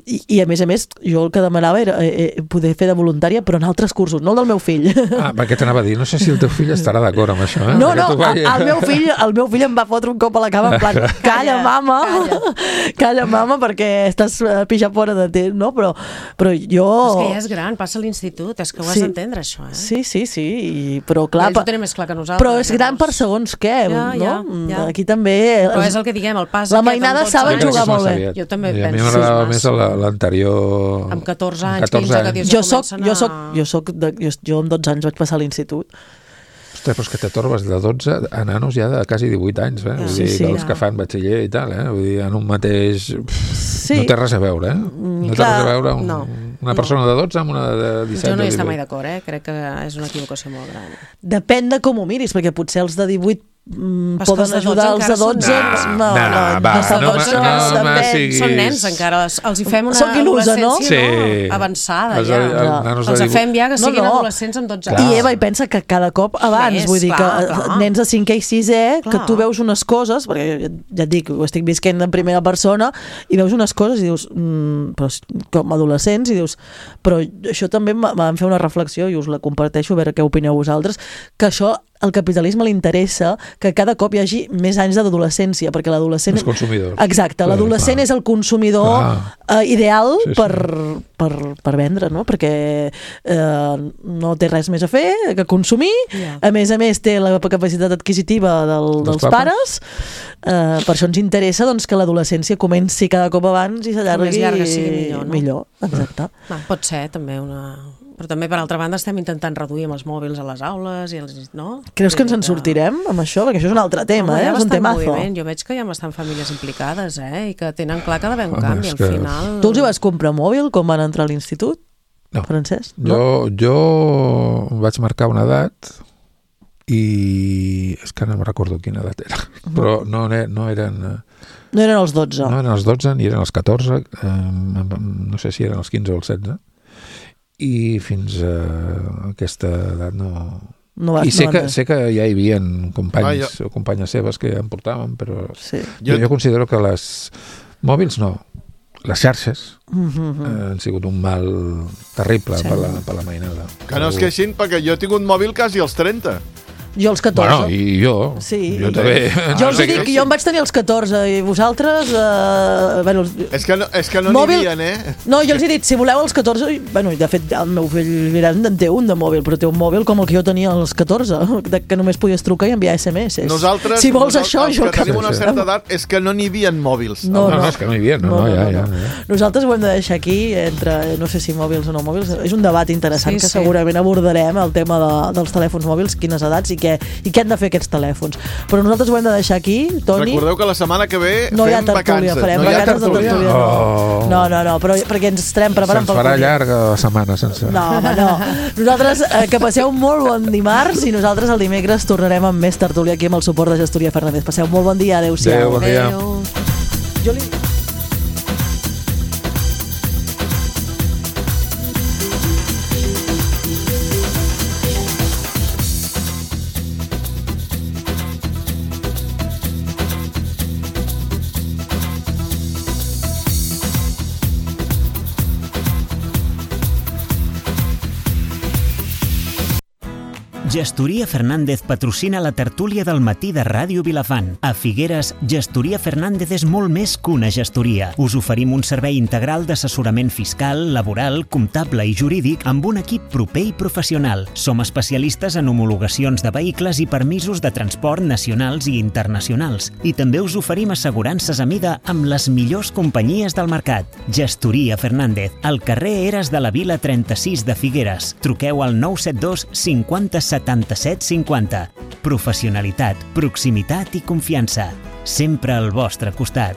i, i a més a més jo el que demanava era eh, eh, poder fer de voluntària però en altres cursos, no el del meu fill. Ah, perquè t'anava a dir, no sé si el teu fill estarà d'acord amb això, eh? No, Perquè no, tu vai- el, el, meu fill, el meu fill em va fotre un cop a la cama en plan, calla, mama, calla, calla mama, perquè estàs eh, pixat fora de temps, no? Però, però jo... És que ja és gran, passa a l'institut, és que ho has Sí. d'entendre, això, eh? Sí, sí, sí, i, però clar... Ells ho tenen més clar que nosaltres. Però és gran per segons què, Ja, no? ja, ja. Aquí també... Però és el que diguem, el pas La aquest, mainada amb dotze saben anys. jugar molt bé. Jo també I a mi penso. m'agradava Sí, més la- l'anterior... Amb catorze anys, amb catorze quinze, que anys. dius, Jo ja soc, comencen jo a- soc, jo soc de, jo, jo amb dotze anys vaig passar a l'institut. Ostres, però és que te torbes de dotze a nanos ja de quasi divuit anys, eh? Vull Sí, dir, sí. els que fan batxiller i tal, eh? Vull dir, en un mateix... Sí. No té res a veure, eh? No té clar, res a veure un, no, una no. persona de dotze amb una de disset Jo no o hi estic divuit. mai d'acord, eh? Crec que és una equivocació molt gran. Depèn de com ho miris, perquè potser els de divuit mm, Però és que poden els de ajudar els dotze de dotze. encara són No, nens. no, No, va, els de no dotze me- no també. me siguis- Són nens encara, els hi fem una Soc il·lusa, no? adolescència Sí. no? avançada Els- ja. els nanos de Els divuit- fem ja que siguin No, no. adolescents amb dotze Clar. anys. I Eva, i pensa que cada cop abans, Més, vull dir clar, que clar. nens de cinquè i sisè, que Clar. tu veus unes coses, perquè ja- ja et dic, ho estic visquent en primera persona, i veus unes coses i dius, mm, però, és- com adolescents, i dius, però això també em va- em va fer una reflexió, i us la comparteixo, a veure què opineu vosaltres, que això al capitalisme li interessa que cada cop hi hagi més anys d'adolescència, perquè l'adolescent... Els consumidors. Exacte, Clar, l'adolescent clar. és el consumidor Clar. eh, ideal Sí, sí. per, per, per vendre, no? Perquè eh, no té res més a fer que consumir, Ja. a més a més té la capacitat adquisitiva del, dels Dels pares, eh, per això ens interessa doncs, que l'adolescència comenci cada cop abans i s'allargui Com més llarga sigui millor, no? millor, exacte. Va, pot ser també una, Però també, per altra banda, estem intentant reduir amb els mòbils a les aules i els... no? Creus que ens en sortirem amb això? Perquè això és un altre tema, Home, eh? És un temazo. Moviment. Jo veig que hi ha bastant famílies implicades, eh? I que tenen clar que ha d'haver un canvi, al que... final... Tu els hi vas comprar mòbil quan van entrar a l'institut? No. Francesc? No? Jo, jo vaig marcar una edat i és que no me recordo quina edat era, uh-huh. però no, no eren... No eren els dotze. No eren els dotze, ni eren els catorze, eh, no sé si eren els quinze o els setze, i fins a aquesta edat no... no vas, I sé, no que, vas. sé que ja hi havia companys ah, jo... o companyes seves que ja em portaven, però sí. jo, jo considero que les mòbils no, les xarxes uh-huh. eh, han sigut un mal terrible sí. per, la, per la mainada. Que no es queixin, perquè jo he tingut mòbil quasi als trenta. Jo als catorze. Bueno, i jo. Sí. Jo també. Jo els dic que jo em vaig tenir els catorze i vosaltres... Eh, bueno, és que no, és que no mòbil... n'hi havia, eh? No, jo els he dit, si voleu els catorze... Bueno, de fet, el meu fill gran en té un de mòbil, però té un mòbil com el que jo tenia als catorze, de que només podies trucar i enviar esse eme esse. Nosaltres, si vols nosaltres, això, els jo... que tenim una certa edat és que no n'hi havia mòbils. No, no, no, no, és que no hi havia, no, no, no, ja, ja, ja. Nosaltres ho hem de deixar aquí, entre no sé si mòbils o no mòbils. És un debat interessant sí, que sí. segurament abordarem, el tema de, dels telèfons mòbils, quines edats i què, i què han de fer aquests telèfons. Però nosaltres ho hem de deixar aquí, Toni. Recordeu que la setmana que ve no fem hi ha tertúlia, vacances. Farem no vacances de tertúlia. tertúlia. Oh. No, no, no, però perquè ens estarem preparant pel pel Se'ns farà llarga la setmana sense... No, home, no. Nosaltres, eh, que passeu molt bon dimarts i nosaltres el dimecres tornarem amb més tertúlia aquí amb el suport de Gestoria Fernández. Passeu molt bon dia, adeu-siau. Adéu, bon dia. Adéu. Jo li... Gestoria Fernández patrocina la tertúlia del matí de Ràdio Vilafant. A Figueres, Gestoria Fernández és molt més que una gestoria. Us oferim un servei integral d'assessorament fiscal, laboral, comptable i jurídic amb un equip proper i professional. Som especialistes en homologacions de vehicles i permisos de transport nacionals i internacionals. I també us oferim assegurances a mida amb les millors companyies del mercat. Gestoria Fernández, al carrer Eres de la Vila trenta-sis de Figueres. Truqueu al nou set dos cinquanta setanta-set cinquanta. Professionalitat, proximitat i confiança. Sempre al vostre costat.